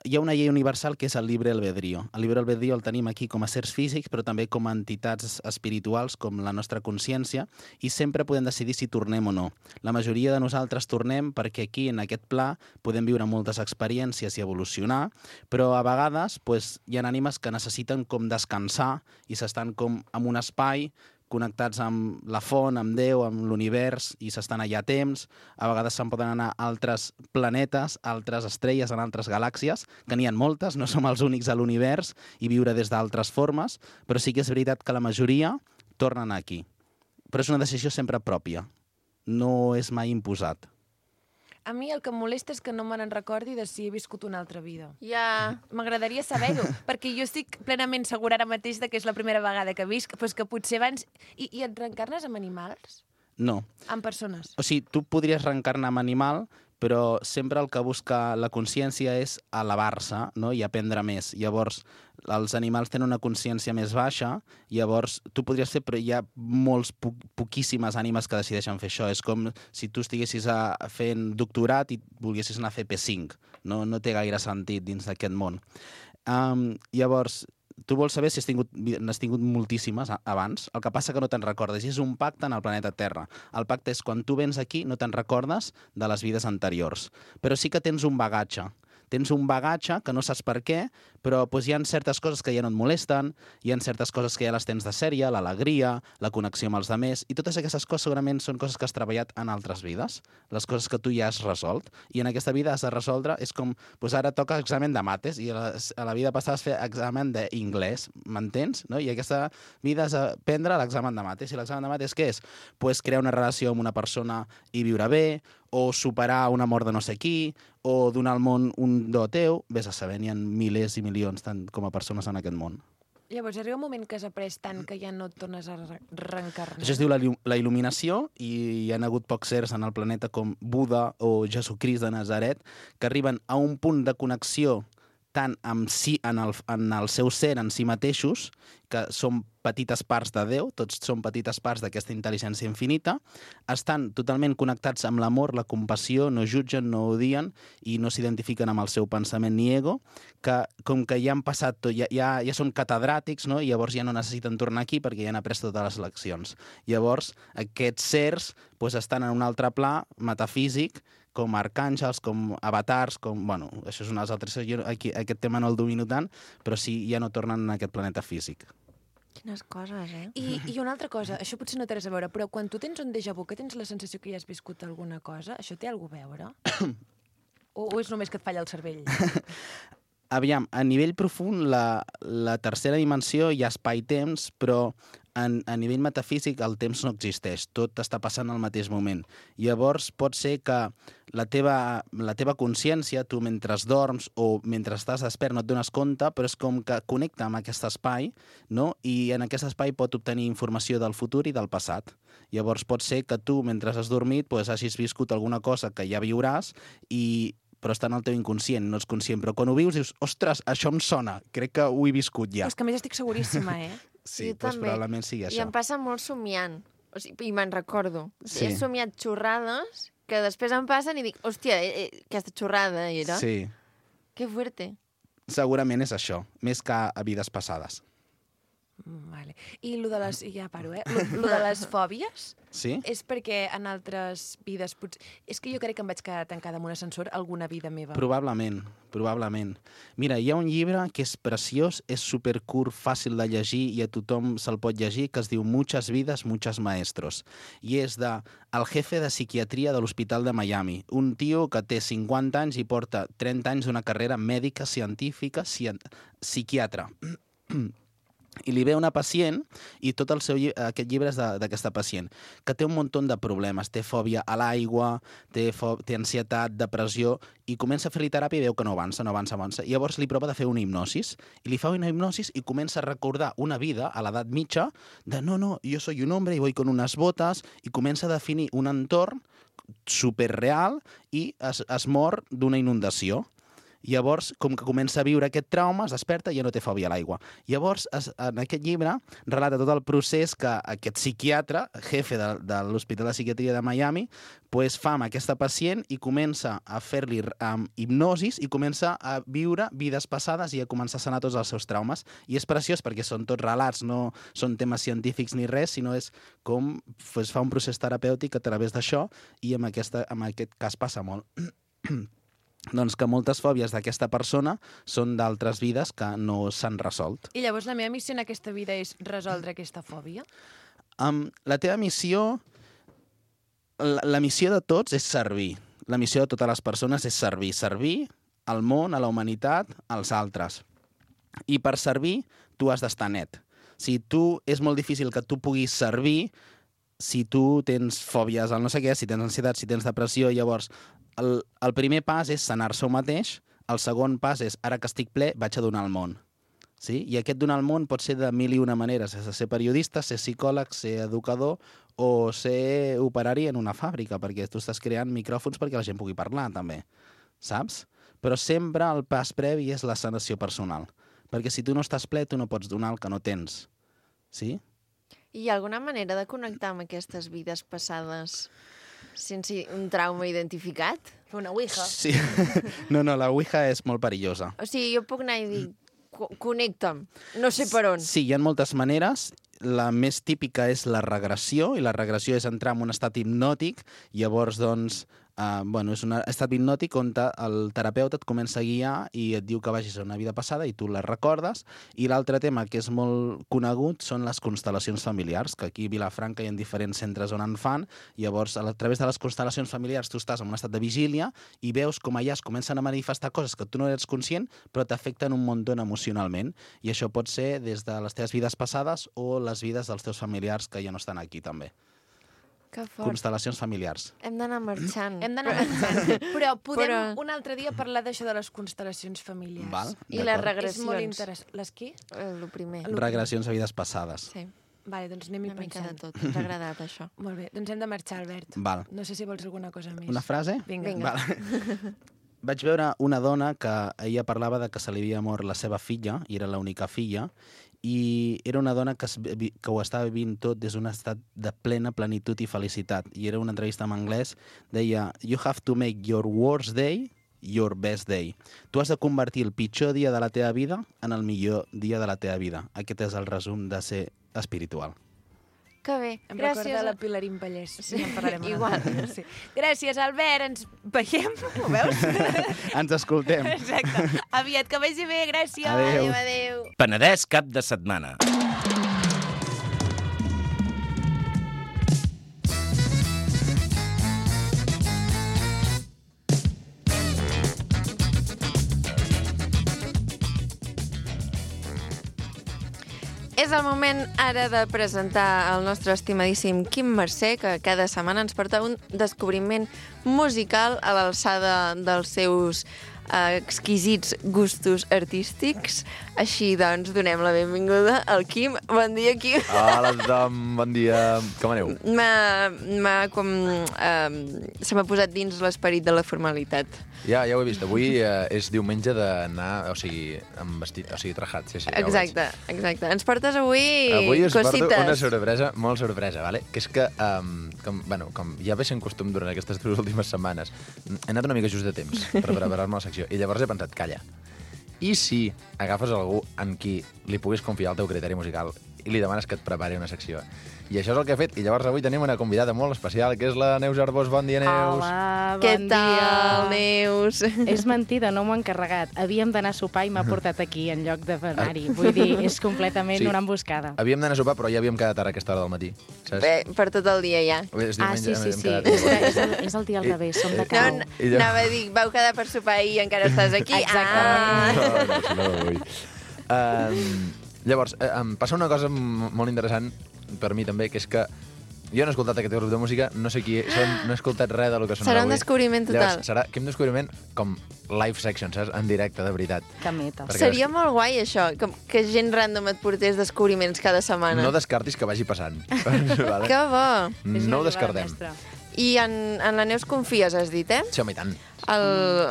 Hi ha una llei universal que és el libre albedrío. El libre albedrío el tenim aquí com a sers físics, però també com a entitats espirituals, com la nostra consciència, i sempre podem decidir si tornem o no. La majoria de nosaltres tornem perquè aquí, en aquest pla, podem viure moltes experiències i evolucionar, però a vegades pues, hi ha ànimes que necessiten com descansar i s'estan com en un espai connectats amb la font, amb Déu, amb l'univers, i s'estan allà a temps. A vegades se'n poden anar a altres planetes, a altres estrelles, en altres galàxies, que n'hi ha moltes, no som els únics a l'univers, i viure des d'altres formes, però sí que és veritat que la majoria tornen aquí. Però és una decisió sempre pròpia. No és mai imposat. A mi el que em molesta és que no me n'en recordi de si he viscut una altra vida. Ja... M'agradaria saber-ho, perquè jo estic plenament segura ara mateix de que és la primera vegada que visc, però és que potser abans... I, i et reencarnes amb animals? No. Amb persones. O sigui, tu podries reencarnar en animal, però sempre el que busca la consciència és elevar-se, no?, i aprendre més. Llavors, els animals tenen una consciència més baixa, llavors tu podries fer, però hi ha molts, po poquíssimes ànimes que decideixen fer això. És com si tu estiguessis a, fent doctorat i volguessis anar a fer P cinc. No, no té gaire sentit dins d'aquest món. Um, llavors, tu vols saber si has tingut, n'has tingut moltíssimes abans, el que passa que no te'n recordes, i és un pacte en el planeta Terra. El pacte és quan tu vens aquí no te'n recordes de les vides anteriors, però sí que tens un bagatge. Tens un bagatge que no saps per què, però doncs, hi ha certes coses que ja no et molesten, hi ha certes coses que ja les tens de sèrie, l'alegria, la connexió amb els altres, i totes aquestes coses segurament són coses que has treballat en altres vides, les coses que tu ja has resolt, i en aquesta vida has de resoldre, és com, doncs ara toca examen de mates, i a la, a la vida passada has fet examen d'inglès, m'entens? No? I aquesta vida has de prendre l'examen de mates, i l'examen de mates què és? Pues crear una relació amb una persona i viure bé, o superar una mort de no sé qui, o donar al món un do teu, vés a saber, n'hi ha milers i milions tant com a persones en aquest món. Llavors, arriba un moment que has après tant que ja no et tornes a re reencarnar. Això es diu la, la il·luminació, i hi ha hagut pocs sers en el planeta com Buda o Jesucrist de Nazaret que arriben a un punt de connexió tant amb si, en, el, en el seu ser, en si mateixos, que són petites parts de Déu, tots són petites parts d'aquesta intel·ligència infinita, estan totalment connectats amb l'amor, la compassió, no jutgen, no odien i no s'identifiquen amb el seu pensament ni ego, que com que ja han passat tot, ja, ja, ja són catedràtics, no? I llavors ja no necessiten tornar aquí perquè ja han après totes les leccions. Llavors, aquests sers pues, estan en un altre pla metafísic, com arcàngels, com avatars, com... Bueno, això és unes altres... Jo aquí, aquest tema no el domino tant, però sí, ja no tornen en aquest planeta físic. Quines coses, eh? I, I una altra cosa, això potser no té res a veure, però quan tu tens un déjà vu, que tens la sensació que ja has viscut alguna cosa, això té alguna cosa a veure? o, o és només que et falla el cervell? Aviam, a nivell profund, la, la tercera dimensió hi ha espai-temps, però en, a nivell metafísic el temps no existeix, tot està passant al mateix moment. Llavors pot ser que la teva, la teva consciència, tu mentre dorms o mentre estàs despert no et dones compte, però és com que connecta amb aquest espai, no? I en aquest espai pot obtenir informació del futur i del passat. Llavors pot ser que tu, mentre has dormit, pues, hagis viscut alguna cosa que ja viuràs i però està en el teu inconscient, no ets conscient. Però quan ho vius dius, ostres, això em sona, crec que ho he viscut ja. És que a més estic seguríssima, eh? Sí, Jo doncs també. probablement sigui I això. em passa molt somiant. O sigui, I me'n recordo. Sí. He somiat xorrades que després em passen i dic, hòstia, eh, eh, aquesta xorrada era. Sí, Que fuerte. segurament és això, més que a vides passades. Mm, Vale. I lo de les... Ja paro, eh? Lo, lo de les fòbies Sí? és perquè en altres vides... Potser... És que jo crec que em vaig quedar tancada en un ascensor alguna vida meva. Probablement, probablement. Mira, hi ha un llibre que és preciós, és supercurt, fàcil de llegir i a tothom se'l pot llegir, que es diu Muchas vidas, muchos maestros. I és de el jefe de psiquiatria de l'Hospital de Miami. Un tio que té cinquanta anys i porta trenta anys d'una carrera mèdica, científica, cien... psiquiatra. I li ve una pacient, i tot el seu lli aquest llibre és d'aquesta pacient, que té un munt de problemes, té fòbia a l'aigua, té, té ansietat, depressió, i comença a fer-li teràpia i veu que no avança, no avança, avança. I llavors li prova de fer una hipnosis, i li fa una hipnosis i comença a recordar una vida a l'edat mitja de no, no, jo soy un hombre y voy con unas botas, i comença a definir un entorn superreal i es, es mor d'una inundació. Llavors, com que comença a viure aquest trauma, es desperta i ja no té fòbia a l'aigua. Llavors, es, en aquest llibre, relata tot el procés que aquest psiquiatre, jefe de, de l'Hospital de Psiquiatria de Miami, pues, fa amb aquesta pacient i comença a fer-li um, hipnosis i comença a viure vides passades i a començar a sanar tots els seus traumes. I és preciós perquè són tots relats, no són temes científics ni res, sinó és com pues, fa un procés terapèutic a través d'això, i en, aquesta, en aquest cas passa molt. Doncs que moltes fòbies d'aquesta persona són d'altres vides que no s'han resolt. I llavors la meva missió en aquesta vida és resoldre aquesta fòbia? Um, la teva missió... La, la missió de tots és servir. La missió de totes les persones és servir. Servir al món, a la humanitat, als altres. I per servir, tu has d'estar net. Si tu és molt difícil que tu puguis servir si tu tens fòbies al no sé què, si tens ansietat, si tens depressió, llavors el, el primer pas és sanar-se un mateix, el segon pas és, ara que estic ple, vaig a donar al món. Sí? I aquest donar al món pot ser de mil i una maneres. És ser periodista, ser psicòleg, ser educador o ser operari en una fàbrica, perquè tu estàs creant micròfons perquè la gent pugui parlar, també. Saps? Però sempre el pas previ és la sanació personal. Perquè si tu no estàs ple, tu no pots donar el que no tens. Sí? Hi ha alguna manera de connectar amb aquestes vides passades sense un trauma identificat? Fer una ouija. Sí. No, no, la Ouija és molt perillosa. O sigui, jo puc anar i dir, "Co- connecta'm, no sé per on. Sí, hi ha moltes maneres. La més típica és la regressió, i la regressió és entrar en un estat hipnòtic, llavors, doncs, Uh, bueno, és un estat hipnòtic on el terapeuta et comença a guiar i et diu que vagis a una vida passada i tu la recordes. I l'altre tema que és molt conegut són les constel·lacions familiars, que aquí a Vilafranca hi ha diferents centres on en fan. Llavors, a través de les constel·lacions familiars tu estàs en un estat de vigília i veus com allà es comencen a manifestar coses que tu no eres conscient però t'afecten un munt emocionalment. I això pot ser des de les teves vides passades o les vides dels teus familiars que ja no estan aquí també. Que fort. Constel·lacions familiars. Hem d'anar marxant. Hem d'anar avançant. Però podem Però- un altre dia parlar d'això de les constel·lacions familiars. Val? I les D'acord. regressions. És molt interessant. Les qui? El primer. Regressions a vides passades. Sí, Vale, doncs anem-hi una mica de pensant. tot. Ens ha agradat, això. Molt bé, doncs hem de marxar, Albert. Val. No sé si vols alguna cosa més. Una frase? Vinga. Vinga. Val. Vaig veure una dona que ella parlava de que se li havia mort la seva filla, i era l'única filla, i era una dona que, es, vi- que ho estava vivint tot des d'un estat de plena plenitud i felicitat. I era una entrevista en anglès, deia "You have to make your worst day your best day". Tu has de convertir el pitjor dia de la teva vida en el millor dia de la teva vida. Aquest és el resum de ser espiritual. Que bé. Em Gràcies. recorda la Pilarín Pallès. Sí, Ja en parlarem un igual. altre dia, sí. Gràcies, Albert. Ens veiem, ho veus? Ens escoltem. Exacte. Aviat, que vagi bé. Gràcies. Adéu. Adéu, adéu. Penedès cap de setmana. És el moment ara de presentar el nostre estimadíssim Quim Mercè, que cada setmana ens porta un descobriment musical a l'alçada dels seus eh, exquisits gustos artístics. Així, doncs, donem la benvinguda al Quim. Bon dia, Quim. Hola a tothom, bon dia. Com aneu? M'ha, m'ha com... Eh, se m'ha posat dins l'esperit de la formalitat. Ja, ja ho he vist. Avui eh, és diumenge d'anar, o sigui, amb vestit, o sigui, trajat. Sí, sí, ja ho Exacte, exacte. Ens portes avui, veig. Avui us cosites. porto una sorpresa, molt sorpresa, vale? Que és que, um, com, bueno, com ja ve sent costum durant aquestes dues últimes setmanes, he anat una mica just de temps per preparar-me la secció, i llavors he pensat, calla, i si agafes algú en qui li puguis confiar el teu criteri musical i li demanes que et prepari una secció? I això és el que he fet, i llavors avui tenim una convidada molt especial, que és la Neus Arbós. Bon dia, Neus. Hola, Què bon tal, dia. Neus? És mentida, no m'ho he encarregat. Havíem d'anar a sopar i m'ha portat aquí en lloc d'anar-hi. Vull dir, és completament Sí. una emboscada. Havíem d'anar a sopar, però ja havíem quedat ara a aquesta hora del matí. Saps? Bé, per tot el dia ja. És Ah, diumenge, sí, sí, hem sí. quedat- És, que és, el, és el dia al I- revés, som de i- No, cau. n- I ja- anava a dir, vau quedar per sopar i encara estàs aquí. Exactament. Ah. No, no, si no vull. Um, llavors, eh, em passa una cosa m- molt interessant per mi també, que és que jo no he escoltat aquest grup de música, no sé qui són, no he escoltat res del que sonarà Serà un avui. descobriment total. Llavors, serà que un descobriment com live section, saps? En directe, de veritat. Que meta. Perquè Seria molt guai, això, que, que gent random et portés descobriments cada setmana. No descartis que vagi passant. vale? Que bo! És No ho una jugada descartem. mestra. I en, en la Neus confies, has dit, eh? Sí, home, i tant. El,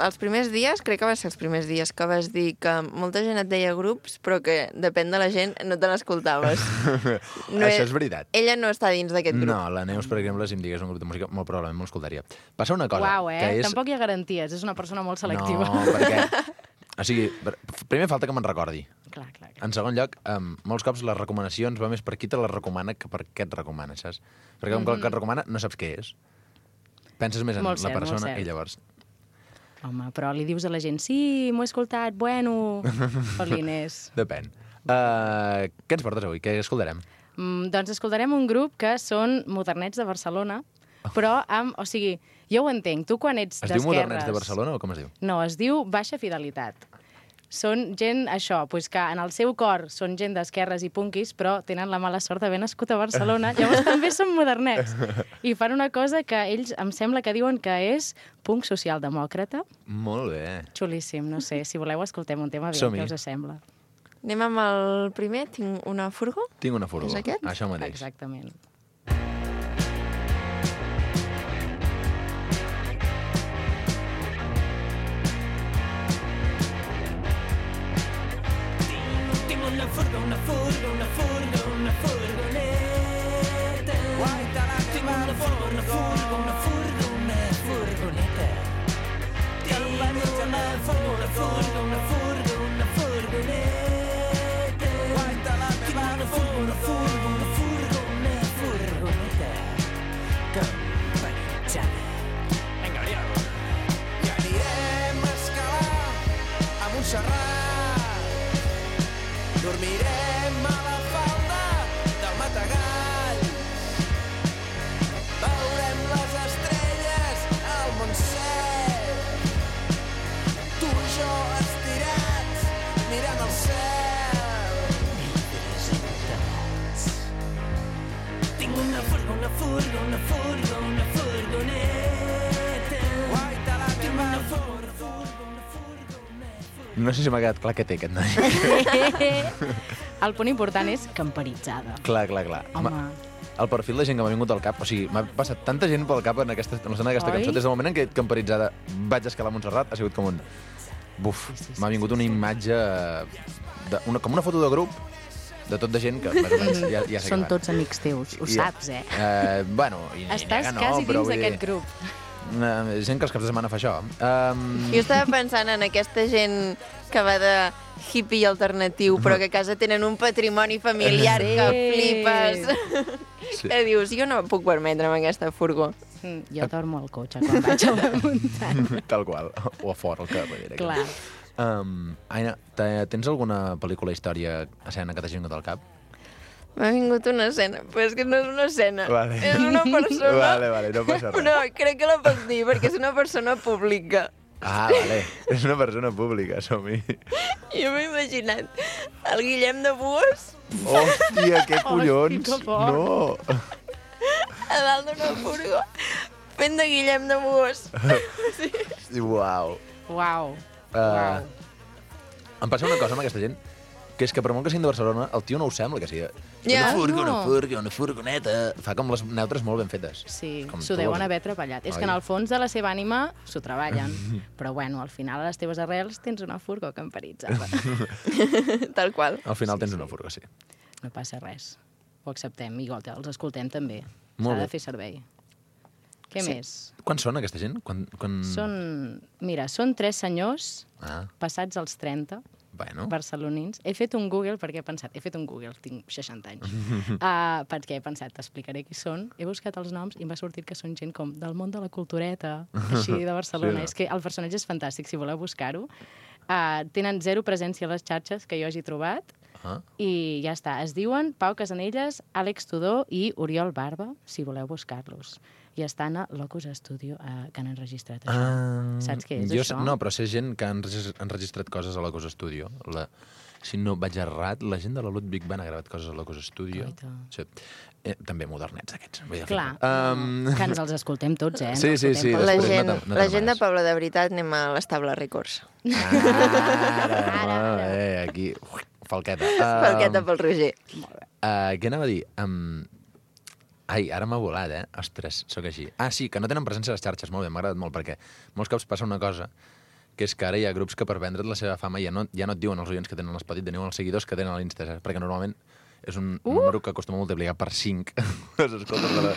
els primers dies, crec que va ser els primers dies, que vas dir que molta gent et deia grups, però que depèn de la gent no te n'escoltaves. No Això e- és veritat. Ella no està dins d'aquest grup. No, la Neus, per exemple, si em digués un grup de música, molt probablement m'ho escoltaria. Passa una cosa, Uau, eh? que és... Tampoc hi ha garanties, és una persona molt selectiva. No, perquè... O sigui, per- primer falta que me'n recordi. Clar, clar, clar. En segon lloc, um, molts cops les recomanacions va més per qui te les recomana que per què et recomana, saps? Perquè com que el que et recomana no saps què és. Penses més en Molt la cert, molt persona cert. i llavors... Home, però li dius a la gent, sí, m'ho he escoltat, bueno, Polines. Depèn. Uh, què ens portes avui? Què escoltarem? Mm, doncs escoltarem un grup que són modernets de Barcelona, però amb... O sigui, jo ho entenc, tu quan ets Es d'esquerres... diu Modernets de Barcelona o com es diu? No, es diu Baixa Fidelitat. Són gent, això, pues que en el seu cor són gent d'esquerres i punquis, però tenen la mala sort d'haver nascut a Barcelona, llavors també són modernets. I fan una cosa que ells em sembla que diuen que és punk socialdemòcrata. Molt bé. Xulíssim, no sé, si voleu escoltem un tema, aviam Som-hi. què us sembla. Anem amb el primer. Tinc una furgo. Tinc una furgo. És aquest? Això mateix. Exactament. Tinc una furgo, una furgo, una furgo, una furgoneta. Tinc una furgo, una furgo, una furgo, una furgoneta. Tinc una furgo, una furgo, una furgo, una furgoneta. Tinc una furgo, una furgo, una furgo, una furgoneta. Campanitzada. Vinga, Oriol. I anirem a escalar a Montserrat. Dormirem a la falda del Matagall. Veurem les estrelles al Montsec. Tu i jo estirats mirant el cel. Vidres enterrats. Tinc una furgo, una furgo, una furgo, una furgoneta. Tinc una furgo, una furgo, una furgo, una furgoneta. No sé si m'ha quedat clar què té aquest noi. El punt important és camperitzada. Clar, clar, clar. Home. Ma- El perfil de gent que m'ha vingut al cap, o sigui, m'ha passat tanta gent pel cap en aquesta, en l'escena d'aquesta Oi? cançó, des del moment en què camperitzada vaig escalar a Montserrat, ha sigut com un... Buf, Sí, sí, sí, m'ha vingut sí, una sí. imatge, de, una, com una foto de grup, de tot de gent que més o menys ja, ja sé Són què va. tots amics teus, ho I- saps, eh? Eh, bueno, i, i Estàs nega, no, quasi però dins vull dir, d'aquest grup. eh, gent que els caps de setmana fa això. Um, Jo estava pensant en aquesta gent que va de hippie alternatiu, però que a casa tenen un patrimoni familiar Sí. que flipes. Sí. Que dius, jo no puc permetre'm aquesta furgó. Mm, Jo dormo al cotxe quan vaig a la muntanya. Tal qual. O a fora, al carrer. Clar. Um, Aina, te- tens alguna pel·lícula, història, escena que t'hagi vingut al cap? M'ha vingut una escena, però és que no és una escena. Vale. És una persona... Vale, vale, no passa res. No, crec que la puc dir, perquè és una persona pública. Ah, vale. És una persona pública, som-hi. Jo m'he imaginat el Guillem de Bues Hòstia, què collons! que fort. No! a dalt d'una furgo fent de Guillem de Bues. Uau. Uau. Uh, em passa una cosa amb aquesta gent, que és que per molt que siguin de Barcelona, el tio no ho sembla que sigui. Ja. Una furgo, una No. furgo, una furgoneta... Fa com les neutres molt ben fetes. Sí, Com s'ho tu deuen les- haver treballat. És Oi? que en el fons de la seva ànima s'ho treballen. Però bueno, al final a les teves arrels tens una furgo camperitzada. Tal qual. Al final Sí, tens sí. una furgo, sí. No passa res. Ho acceptem, igual els escoltem també. Molt S'ha de bé. fer servei. Què Sí. més? Quan són aquesta gent? Quan, quan... Són, mira, són tres senyors Ah, passats els trenta, bueno. barcelonins. He fet un Google perquè he pensat, he fet un Google, tinc seixanta anys, uh, perquè he pensat, t'explicaré qui són. He buscat els noms i m'ha sortit que són gent com del món de la cultureta, així de Barcelona. Sí, no? És que el personatge és fantàstic, si voleu buscar-ho. Uh, tenen zero presència a les xarxes que jo hagi trobat Ah. i ja està. Es diuen Pau Casanelles, Àlex Tudor i Oriol Barba, si voleu buscar-los. I estan a Locus Studio, uh, que han enregistrat això. Ah, Saps què és jo, això? No, però sé gent que han regis- han enregistrat coses a la Cosa Studio. La, si no vaig errat, la gent de la Ludwig van ha gravat coses a la Cosa Studio. Guaita. Sí. Eh, també modernets, aquests. Vull dir, Clar, Um... no, que ens els escoltem tots, eh? Sí, Ens sí, escoltem sí, pels La després gent, no te- no la te gent de demanes. Pablo de veritat anem a l'estable Records. Ara, Ara, ara. eh, aquí, ui, falqueta. Falqueta Um, pel Roger. uh, què anava a dir? Um, ai, ara m'ha volat, eh? Ostres, sóc així. Ah, sí, que no tenen presència a les xarxes. Molt bé, m'ha agradat molt, perquè molts cops passa una cosa, que és que ara hi ha grups que per vendre't la seva fama ja no, ja no et diuen els oients que tenen a l'Spotify, et diuen els seguidors que tenen a l'Insta, saps? Perquè normalment és un uh! número que acostuma a multiplicar per cinc les escoltes de la,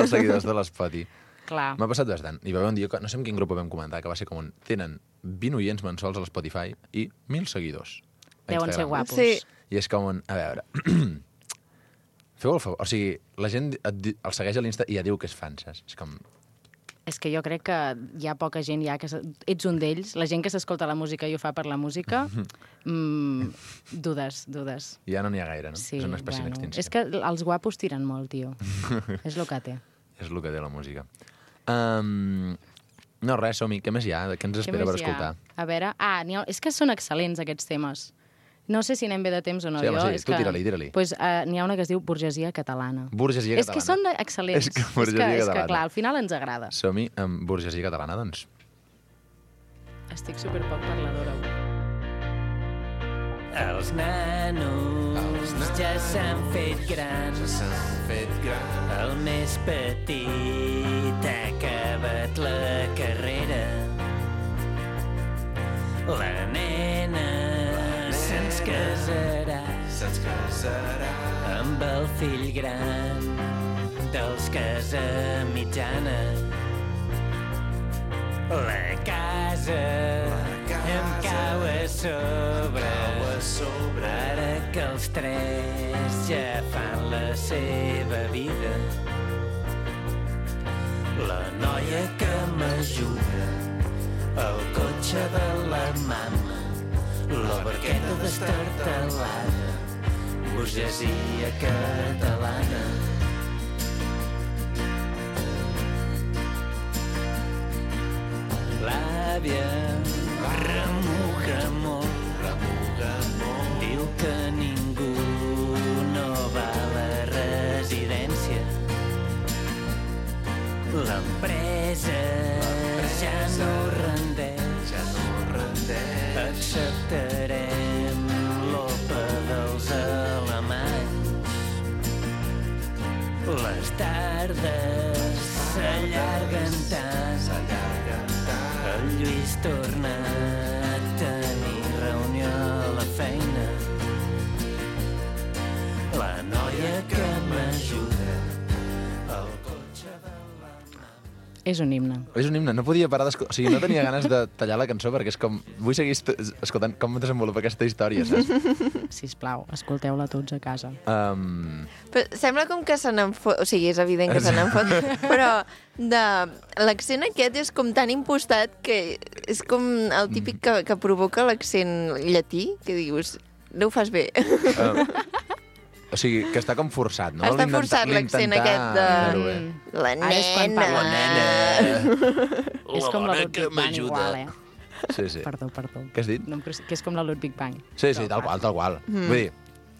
els seguidors de l'Spotify. Clar. M'ha passat bastant. Hi va haver un dia, que, no sé en quin grup ho vam comentar, que va ser com un... Tenen vint oients mensuals a l'Spotify i mil seguidors. a Deuen ser Instagram. guapos. Sí. I és com un... A veure... Feu el favor. O sigui, la gent et, di- el segueix a l'Insta i ja diu que és fan, saps? És com... És que jo crec que hi ha poca gent ja que... se- Ets un d'ells. La gent que s'escolta la música i ho fa per la música, mm, dudes, dudes. Ja no n'hi ha gaire, no? Sí, és una espècie bueno, d'extinció. és que els guapos tiren molt, tio. És el que té. És el que té la música. Um, no, res, som-hi. Què més hi ha? Què ens Què espera més per hi ha? escoltar? A veure... Ah, n'hi ha... és que són excel·lents, aquests temes. No sé si anem bé de temps o no. Sí, home, jo, sí, és tu que... tira-li, tira-li. Pues, uh, n'hi ha una que es diu Burgesia Catalana. Burgesia És que són catalana. excel·lents. És que burgesia és que, catalana. clar, al final ens agrada. Som-hi amb burgesia catalana, doncs. Estic superpoc parladora. avui. Els nanos ja s'han fet grans. S'han fet grans. El més petit ha acabat la carrera. La nena se'ns casarà. Se'ns casarà. Amb el fill gran dels casa mitjana. La casa, em cau a sobre, ara que els tres ja fan la seva vida. La noia que m'ajuda, el cotxe de la mama, la barqueta destartalada, burgesia catalana. L'àvia remuga molt, remuga molt, diu que ningú no va a la residència. L'empresa ja no rendeix, ja no rendeix. Acceptarem l'opa dels alemanys. Les tardes s'allarguen tant, s'allarguen tant. El Lluís torna a tenir reunió a la feina. La noia que m'ajuda, el cotxe de la mama. És un himne. És un himne, no podia parar d'escoltar... O sigui, no tenia ganes de tallar la cançó perquè és com... Vull seguir est- escoltant com desenvolupa aquesta història, saps? Sisplau, escolteu-la tots a casa. Um, Però sembla com que se n'en fot... O sigui, és evident que se n'en fot, però de... l'accent aquest és com tan impostat que és com el típic que, que provoca l'accent llatí, que dius, no ho fas bé. uh, o sigui, que està com forçat, no? Està L'intenta- forçat l'accent l'intentar aquest de... fer-ho bé. La Ara és quan nena. parla. És com la bona Ludwig que Bang m'ajuda. igual, eh? Sí, sí. Perdó, perdó. Què has dit? No, em cre- que és com la Ludwig Bang. Sí, sí, tal qual, tal qual. Mm. Vull dir,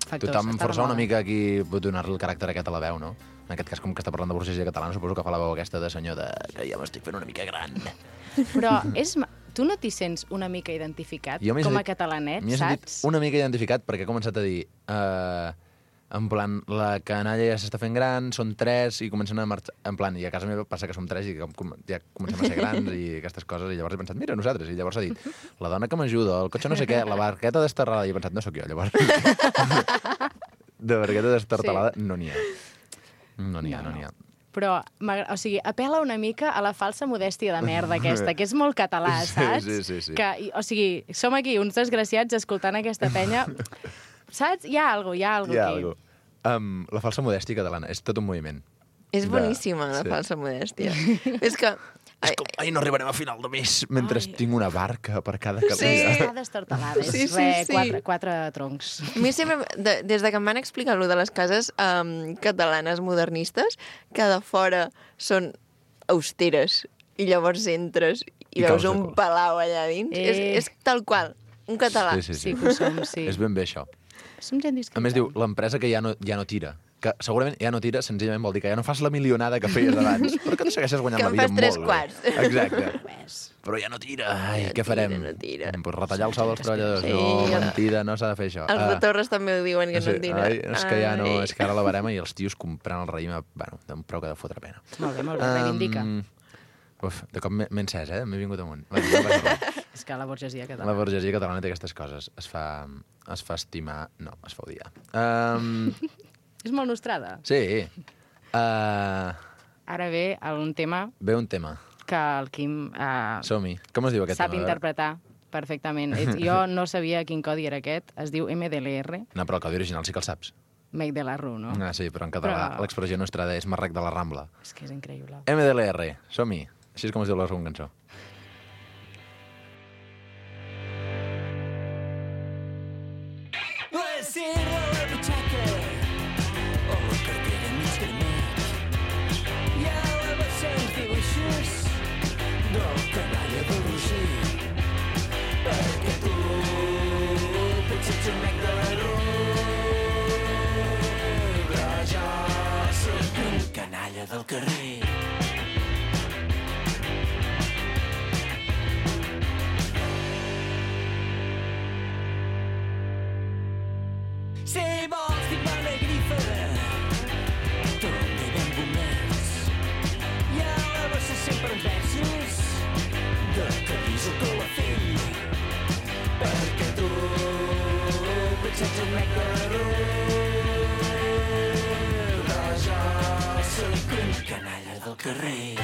Factors, tothom està força una remoda. mica aquí pot donar-li el caràcter aquest a la veu, no? En aquest cas, com que està parlant de burgesia catalana, suposo que fa la veu aquesta de senyor de... que ja m'estic fent una mica gran. Però és... ma- tu no t'hi sents una mica identificat Jo m'he com a sentit- catalanet, M'hi he sentit saps? una mica identificat perquè he començat a dir... Uh, en plan, la canalla ja s'està fent gran, són tres i comencen a marxar... En plan, i a casa meva passa que som tres i com, com, ja comencem a ser grans i aquestes coses, i llavors he pensat, mira, nosaltres, i llavors ha dit, la dona que m'ajuda, el cotxe no sé què, la barqueta destartalada, i he pensat, no sóc jo, llavors. De barqueta destartalada sí. no n'hi ha. No n'hi ha, no n'hi ha. Però, m'agra- o sigui, apel·la una mica a la falsa modèstia de merda aquesta, que és molt català, Sí, saps? sí, sí, sí. Que, i- o sigui, som aquí uns desgraciats escoltant aquesta penya. Saps? Hi ha alguna cosa, hi ha alguna Hi ha aquí. algo. Um, la falsa modèstia catalana, és tot un moviment. És De- boníssima, la sí. falsa modèstia. És que... És com, ai, no arribarem a final de mes mentre Ai. tinc una barca per cada Sí, carrera. està destartalada. És Sí, sí, re, sí. Quatre, quatre troncs. A mi sempre, de, des de que em van explicar allò de les cases um, catalanes modernistes, que de fora són austeres i llavors entres i, I veus caus de un cul. palau allà dins. Eh. És, és tal qual, un català. Sí, sí, sí. Sí que ho som, sí. És ben bé això. Som gent discreta. A més, diu, l'empresa que ja no, ja no tira. Que segurament ja no tira, senzillament vol dir que ja no fas la milionada que feies abans, però que tu segueixes guanyant Que la en vida fas tres molt quarts. bé. Exacte. Res. Però ja no tira. Ai, Ja què farem? tira, no tira. Pues retallar el sou dels treballadors. Sí, no, ja. mentida, no s'ha de fer això. Els de Ah, Torres també ho diuen, que sí, no tira. ai, és que ja no, Ai. és que ara la barema i els tios comprant el raïm, a- bueno, d'un preu que ha de fotre pena. Molt bé, molt bé, reivindica. Um, uf, de cop m'he m'he encès, eh? M'he vingut amunt. Bueno, no passa res. És que la burgesia La catalana. burgesia catalana té aquestes coses. Es fa, es fa estimar... No, es fa odiar. Um, És molt nostrada. sí. Uh, Ara ve un tema ve un tema. que el Quim uh, Som-hi. Com es diu aquest sap tema? A veure. interpretar perfectament. Ets- Jo no sabia quin codi era aquest. Es diu M D L R, No, però el codi original sí que el saps. Make de la Rue, no? Ah, sí, però en català Però- l'expressió nostrada és Marrec de la Rambla. És que és increïble. M D L R, som-hi. Així és com es diu la segona cançó. La cera a la butxaca o la cartera mig de mig. Hi ha la vessants dibuixos del canalla de Roger. Perquè tu potser ets un mec de la rua, però jo sóc un canalla del carrer. del carrer.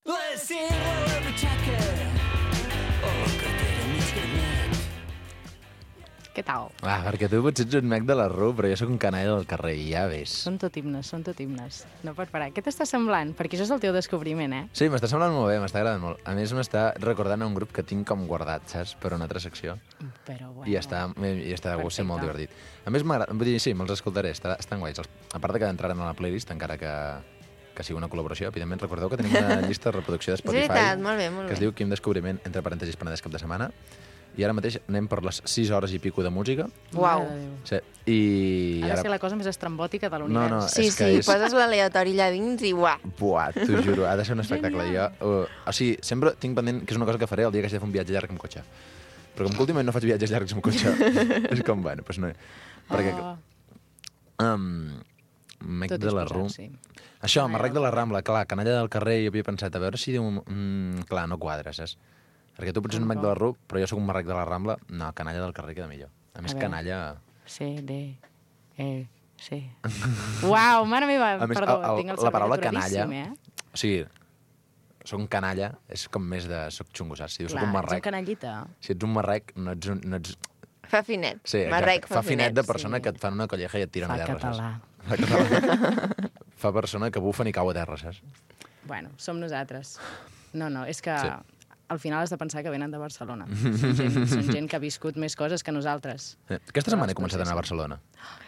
La serra a la butxaca, o la cartera mig granet. Què tal? Ah, perquè tu potser ets un mec de la R U, però jo sóc un canalla del carrer, i ja ves. Són tot himnes, són tot himnes. No pot parar. Què t'està semblant? Perquè això és el teu descobriment, eh? Sí, m'està semblant molt bé, m'està agradant molt. A més, m'està recordant a un grup que tinc com guardat, saps? Per una altra secció. Però bueno... I està, i està de gust, ser molt Perfecte. divertit. A més, m'agrada, vull dir, sí, me'ls escoltaré, està, estan guais. Els- A part de que entraran a la playlist, encara que, que sigui una col·laboració, evidentment, recordeu que tenim una llista de reproducció de És Spotify veritat, molt bé, molt que es bé. diu Quim Descobriment, entre parèntesis, Penedès cap de setmana. I ara mateix anem per les sis hores i pico de música. Uau. Mare de Déu. Sí, i Ha de ara... ser la cosa més estrambòtica de No, l'univers. no, Sí, és que sí, és... poses l'aleatori allà dins i uah. Buah, t'ho juro, ha de ser un espectacle. Jo, uh, o sigui, sempre tinc pendent que és una cosa que faré el dia que hagi de fer un viatge llarg amb cotxe. Però com que últimament no faig viatges llargs amb cotxe, és com, bueno, doncs no... Perquè, Oh, um, mec tot de la disposat, R U... sí. Això, Canalla Marrec del de la Rambla, clar, canalla del carrer, i havia pensat, a veure si diu... Mm, clar, no quadra, saps? Perquè tu pots ser un mec de la R U, però jo sóc un Marrec de la Rambla. No, canalla del carrer queda millor. A més, A veure. canalla... C, D, E, C. Uau, mare meva, A més, perdó, el- el- tinc el la paraula cervell canalla... aturadíssim, eh? O sigui, soc un canalla, és com més de... Soc xungo, saps? Si dius soc Clar, un ets un marrec... canallita. Si ets un marrec, no ets un... No ets... Fa finet. Sí, exacte. Marrec fa finet de finet. persona sí. que et fan una colleja i et tiren Fa a terra, català. saps? Fa català. Fa persona que bufen i cau a terra, saps? Bueno, som nosaltres. No, no, és que Sí. al final has de pensar que venen de Barcelona. Són gent, són gent que ha viscut més coses que nosaltres. Eh, Aquesta setmana he els començat a anar a processen. Barcelona,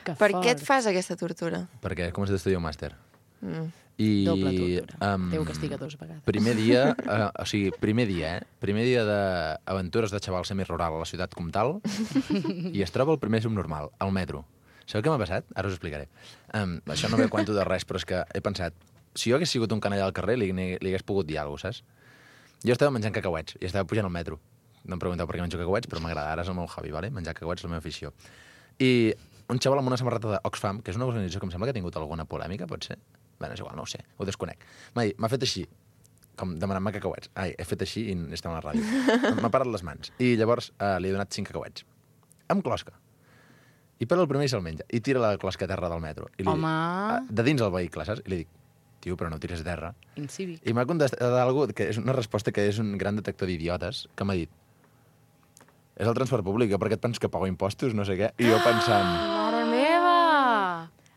Que Per fort. què et fas aquesta tortura? perquè he començat a estudiar un màster. Mm. I, Doble tortura. em, Déu castiga dos vegades. Primer dia, eh, o sigui, primer dia, eh? Primer dia d'aventures de xaval semirural a la ciutat comtal i es troba el primer subnormal, al metro. Sabeu què m'ha passat? Ara us ho explicaré. Um, això no ve a quanto de res, però és que he pensat, si jo hagués sigut un canalla al carrer, li, li hagués pogut dir alguna cosa, saps? Jo estava menjant cacauets i estava pujant al metro. No em pregunteu per què menjo cacauets, però m'agrada. Ara és el meu hobby, vale? Menjar cacauets és la meva afició. I un xaval amb una samarreta d'Oxfam, que és una organització que em sembla que ha tingut alguna polèmica, pot ser? Bé, és igual, no ho sé, ho desconec. M'ha dit- m'ha fet així, com demanant-me cacauets. Ai, he fet així i estem a la ràdio. M'ha parat les mans. I llavors eh, li he donat cinc cacauets. Amb closca. I per el primer i se'l menja. I tira la closca a terra del metro. I li Home. Dic, de dins el vehicle, saps? I li dic, tio, però no ho tires a terra. Incívic. I m'ha contestat alguna que és una resposta que és un gran detector d'idiotes, que m'ha dit, és el transport públic, jo per què et penses que pago impostos, no sé què? I jo pensant, Mare meva!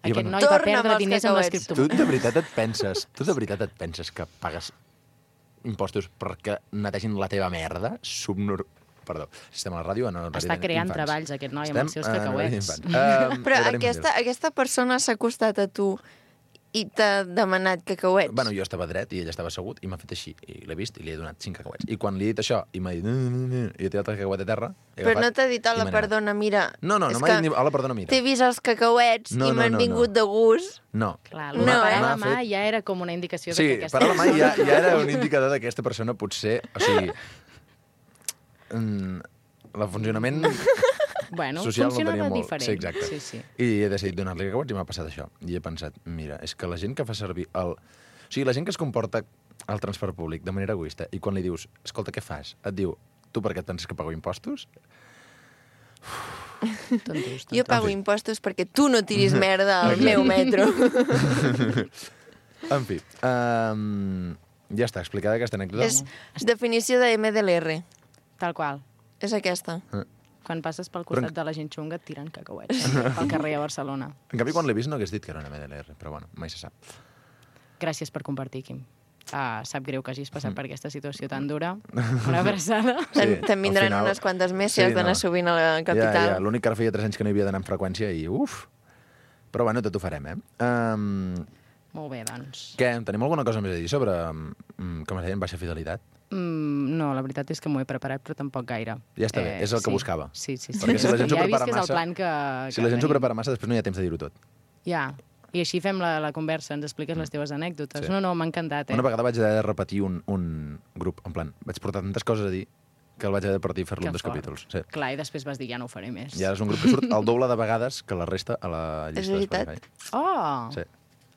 I Aquest bueno, noi va Torna'm perdre els diners amb cacauets. tu l'escriptor. de veritat et penses, tu de veritat et penses que pagues impostos perquè netegin la teva merda? Subnor... Perdó, si estem a la ràdio, en horari Està creant d'infants. treballs, aquest noi, amb Estem els seus en horari cacauets. d'infants. Um, Però horari aquesta, infantil. aquesta persona s'ha acostat a tu i t'ha demanat cacauets. Bueno, jo estava dret i ell estava assegut i m'ha fet així. I l'he vist i li he donat cinc cacauets. I quan li he dit això i m'ha dit... "No, no, no", i he tirat el cacauet a terra... he Però agafat no t'ha dit, i hola, me n'he anat. perdona, mira... No, no, és no m'ha que dit ni... Hola, perdona, mira. T'he vist els cacauets No, i no, m'han no, vingut no. de gust. No. Clar, No, no, eh? parar la mà M'ha fet- ja era com una indicació Sí, de que aquesta per a la mà ja, persona- ja era un indicador que aquesta persona potser... O sigui... Mm, el funcionament Bueno, social no funcionava tenia molt. diferent. Sí, exacte. Sí, sí. I he decidit donar-li cacauets i m'ha passat això. I he pensat, mira, és que la gent que fa servir el... O sigui, la gent que es comporta al transport públic de manera egoista i quan li dius, escolta, què fas? Et diu, tu per què et penses que pago impostos? Tontos, Jo tontos. pago impostos perquè tu no tiris merda al meu metro. En fi, um, ja està, explicada aquesta anècdota. És definició de M D L R. Tal qual. És aquesta. Quan passes pel Però en- costat de la gent xunga et tiren cacauets pel carrer a Barcelona. En canvi, quan l'he vist no hagués dit que era una M D L R, però bueno, mai se sap. Gràcies per compartir, Quim. Uh, sap greu que hagis Mm. passat per aquesta situació tan dura. Una abraçada. Te'n Sí, te'n vindran al final- unes quantes més si Sí, has d'anar no. sovint a la Ja, capital. ja, l'únic que ara feia tres anys que no hi havia d'anar amb freqüència i uf! Però bueno, tot ho farem, eh? Um, Molt bé, doncs. què, tenim alguna cosa més a dir sobre, um, com es deien, baixa fidelitat? Mm, no, la veritat és que m'ho he preparat, però tampoc gaire. Ja està bé, és el que sí. buscava. Sí, sí, sí. Perquè si la gent s'ho ja he vist prepara que és el massa- plan que... Si que la gent s'ho tenim. prepara massa, després no hi ha temps de dir-ho tot. Ja, i així fem la, la conversa, ens expliques les teves anècdotes. Sí. No, no, m'ha encantat, eh? Una vegada vaig haver de repetir un, un grup, en plan, vaig portar tantes coses a dir que el vaig haver de partir i fer-lo Que en dos fort. capítols. Sí. Clar, i després vas dir, ja no ho faré més. I ara és un grup que surt el doble de vegades que la resta a la llista de veritat? Spotify. Oh! Sí.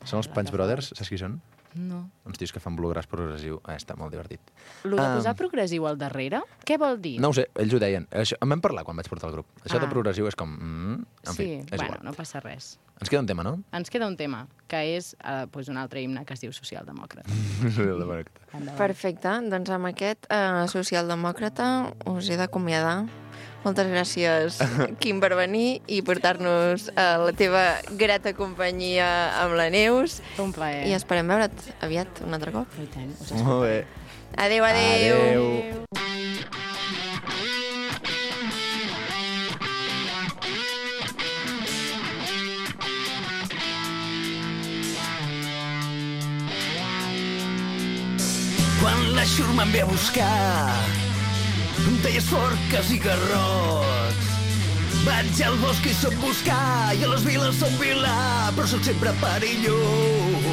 Són els Punch Brothers, saps qui són? No. Uns tios que fan bluegrass progressiu. Ah, està molt divertit. Lo de Ah. posar progressiu al darrere, què vol dir? No ho sé, ells ho deien. Això, en vam parlar quan vaig portar el grup. Això Ah. de progressiu és com... Mm, en sí, fi, és bueno, igual. no passa res. Ens queda un tema, no? Ens queda un tema, que és eh, pues un altre himne que es diu Socialdemòcrata. Endavant. Perfecte, doncs amb aquest eh, socialdemòcrata us he d'acomiadar. Moltes gràcies, Quim, per venir i portar-nos a la teva grata companyia amb la Neus. Un plaer. I esperem veure't aviat un altre cop. I tant, us Molt bé. Adéu, adéu. Adéu. Quan la xurma em ve a buscar, em talles forques i garrots. Vaig al bosc i soc buscar, i a les viles soc vilà, però sóc sempre perillós.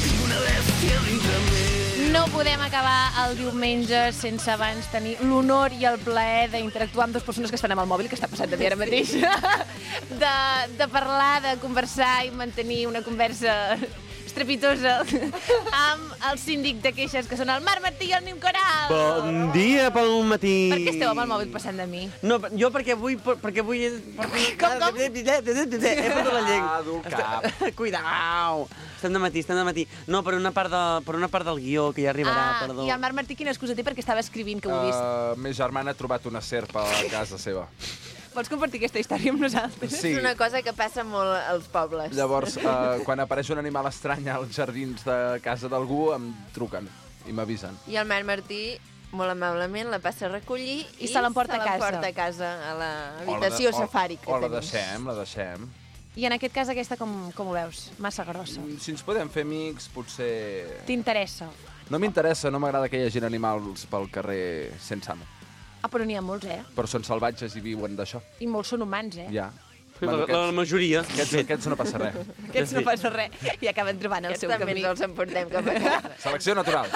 Tinc una bèstia dintre meu. No podem acabar el diumenge sense abans tenir l'honor i el plaer d'interactuar amb dues persones que estan amb el mòbil, que està passant de mi ara mateix, de, de parlar, de conversar i mantenir una conversa estrepitosa amb el síndic de queixes, que són el Marc Martí i el Nim Coral. Bon dia pel matí. Per què esteu amb el mòbil passant de mi? No, jo perquè vull... Perquè vull... Com, com? He fotut la llengua. Ah, dur el cap. Cuidao. Estem de matí, estem de matí. No, per una part, de, per una part del guió, que ja arribarà, Ah, perdó. i el Marc Martí quina excusa té perquè estava escrivint, que ho he vist. Uh, ma germana ha trobat una serp a casa seva. Vols compartir aquesta història amb nosaltres? Sí. És una cosa que passa molt als pobles. Llavors, uh, quan apareix un animal estrany als jardins de casa d'algú, em truquen i m'avisen. I el Marc Martí, molt amablement, la passa a recollir i, I se l'emporta a casa. l'emporta a casa, a O la l'habitació de- o- safari que O la tenim. deixem, la deixem. I en aquest cas aquesta com, com ho veus? Massa grossa. Si ens podem fer amics, potser... T'interessa? No m'interessa, no m'agrada que hi hagi animals pel carrer sense amo. Ah, però n'hi ha molts, eh? Però són salvatges i viuen d'això. I molts són humans, eh? Ja. La, la majoria. Aquests, aquests no passa res. Aquests no passa res i acaben trobant el Aquests seu també camí. ens els emportem cap a casa. Selecció natural.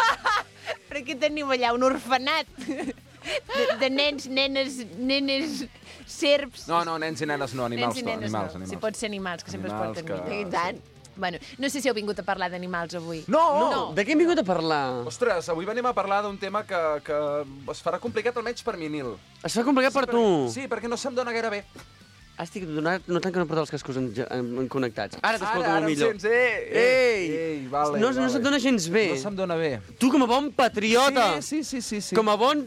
Però què teniu allà? Un orfenat de, de nens, nenes, nenes, serps... No, no, nens i nenes no, animals nens i no, nenes animals, no. animals. Si pot ser animals, que sempre Animals es porten que- millor. I tant. Bueno, no sé si heu vingut a parlar d'animals avui. No! No, de què hem vingut a parlar? Ostres, avui venim a parlar d'un tema que, que es farà complicat almenys per mi, Nil. Es fa complicat per tu. Sí, perquè no se'm dona gaire bé. Ah, estic donat, notant que no porta els cascos en, en, en connectats. Ara t'escolto Ara, molt ara millor. em sents, eh? Ei! Ei, vale, no, vale. no se't dona gens bé. No se'm dona bé. Tu com a bon patriota, Sí, sí, sí, sí. sí. com a bon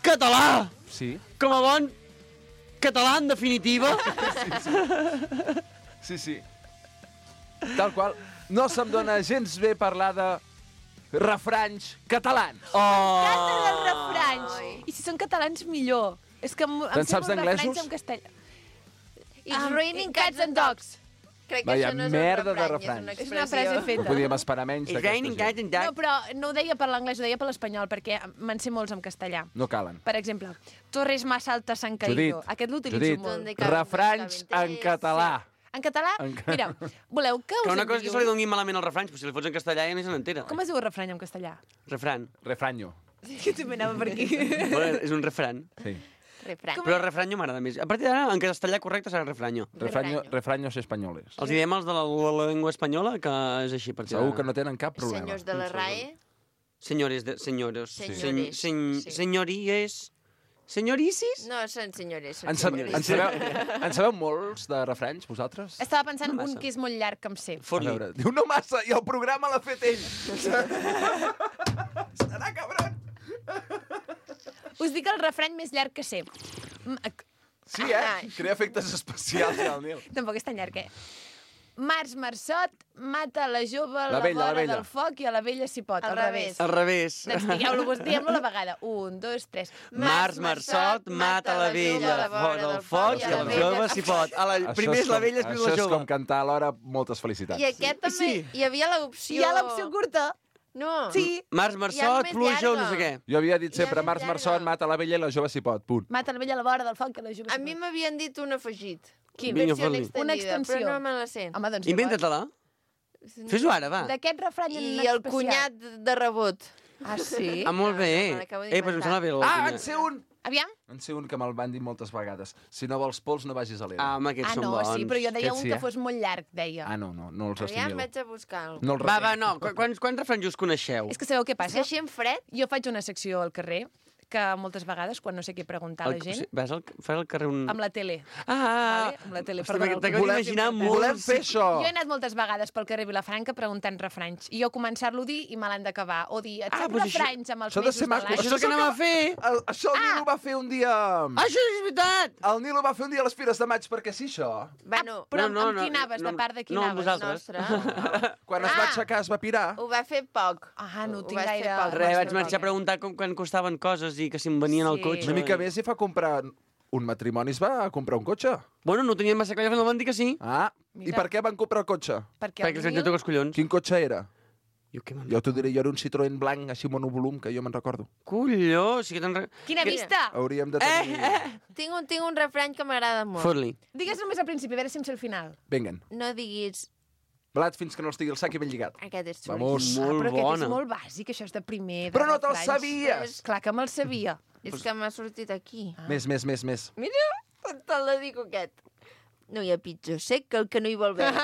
català, Sí, com a bon català, en definitiva. sí, sí. Tal qual. No se'm dona gens bé parlar de refranys catalans. Oh! Canten els refranys! I si són catalans, millor. És que em, em Te'n sé saps molts d'anglesos? refranys en castellà. It's Ah, raining cats and dogs. Crec que Vaya això no és merda un de refrany, refranys. és És una una frase expressió. No feta. podíem esperar menys It's d'aquesta raining gent. cats and No, dogs. però no ho deia per l'anglès, ho deia per l'espanyol, perquè me'n sé molts en castellà. No calen. Per exemple, Torres más altas han caído. Judit, Aquest l'utilitzo Judit, molt. Donde caben refranys los en català. En català, En ca- mira, voleu que us Que una en cosa és que digui se li un? doni malament els refranys, però si li fots en castellà ja ni se n'entera. Com es diu el refrany en castellà? Refran. Refranyo. Que també anava per aquí. Bueno, és un refran. Sí. Refrany. Però refranyo m'agrada més. A partir d'ara, en castellà correcte serà refranyo. Refranyo, refraños españoles. Els diem els de la, la llengua espanyola, que és així. Per Segur que no tenen cap problema. Senyors de la R A E. Senyores, de, senyores. Senyores, Sen, sí. Senyories. Senyoricis? No, són senyores. Són En, sab senyores. en, sabeu, en sabeu molts de refranys, vosaltres? Estava pensant No en massa. un que és molt llarg, que em sé. A Fot-li. veure, diu no massa, i el programa l'ha fet ell. Serà cabron. Us dic el refrany més llarg que sé. Mm, ac- Sí, eh? Crea efectes especials, el Nil. Tampoc és tan llarg, eh? Març Marçot mata la jove a la, La vella, la vora vella. del foc i a la vella s'hi pot. Al Al revés. Al revés. Doncs digueu-lo, vos- diguem-lo a la vegada. Un, dos, tres. Març Marçot mata la vella fora del foc i el jove s'hi pot. A la, Això primer és la com- vella, després la Això és jove. com cantar alhora moltes felicitats. I aquest també, Sí. hi havia l'opció... Hi ha l'opció curta. No. Sí. Març Hi ha Marçot, més pluja o no llarga. sé què. Jo havia dit sempre, Ja, Març ja, Marçot ja. mata la vella i la jove s'hi pot, punt. Mata la vella a la vora del foc i la jove A s'hi mi pot. m'havien dit un afegit. Quin? Vinga, Versió fot-li. extendida, Una extensió. però no me la sé. Home, doncs Inventa-te-la. Fes-ho ara, va. d'aquest refrany en I especial. el cunyat de rebot. Ah, sí? Ah, molt bé. me l'acabo Eh, pues em d'inventar. sembla bé. el Ah, cunyat. en sé un! Aviam. En sé un que me'l van dir moltes vegades. Si no vols pols, no vagis a l'era. Ah, home, aquests Ah, són no, bons. sí, però jo deia Aquest un sí, que eh? fos molt llarg, deia. Ah, no, no, no els Aviam, assimilo. vaig a buscar alguna No els Va, retenc. va, no. Qu- Quants, quants refranys us coneixeu? És que sabeu què És que passa? així en fred... Jo faig una secció al carrer que moltes vegades, quan no sé què preguntar a la El- gent, sí, Vas al, fas al carrer un... amb la tele. Ah, ah, Vale? Amb la tele, Hosti, perdona, el t'acabo que- d'imaginar Volem- molt... Volem fer això! Jo he anat moltes vegades pel carrer Vilafranca preguntant refranys. I jo començar-lo a dir i me l'han d'acabar. O dir, et Ah, saps doncs això- refranys amb els Això ha de mesos ser de maco. l'any? Això és el que anem a fer! El, això el Ah! Nilo va fer un dia... Ah, això és veritat! El Nilo va fer un dia a les Fires de Maig, perquè sí, això. Bueno, Però No, no, amb no, qui anaves? no, De part de qui no, amb anaves? vosaltres. nostre. Quan es va Ah! aixecar es va pirar. Ho va fer poc. Ah, no Ho tinc vas fer gaire- poc. Res, vaig Nostre marxar a poc. preguntar com, quan costaven coses i que si em venien al Sí. cotxe. Una mica més i fa comprar... Un matrimoni es va comprar un cotxe. Bueno, no tenien massa clar, no van dir que sí. Ah, i Mira. per què van comprar el cotxe? Perquè, Perquè els vaig tocar els collons. Quin cotxe era? Jo què me'n Jo t'ho diré, jo era un Citroën blanc, així monovolum, que jo me'n recordo. Colló, sí que te'n... Re... Quina vista! Hauríem de tenir... Eh, eh! Tinc un, tinc un refrany que m'agrada molt. Fot-li. Digues només al principi, a veure si em sé el final. Venguen. No diguis... Blat fins que no estigui el sac i ben lligat. Aquest és Vamos. xulíssim. Molt però aquest bona. és molt bàsic, això és de primer. De Però no te'l refranys. sabies! Clar que me'l sabia. És que m'ha sortit aquí. Més, més, més, més. Mira, te'l dedico aquest. No hi ha pitjor sec que el que no hi vol veure.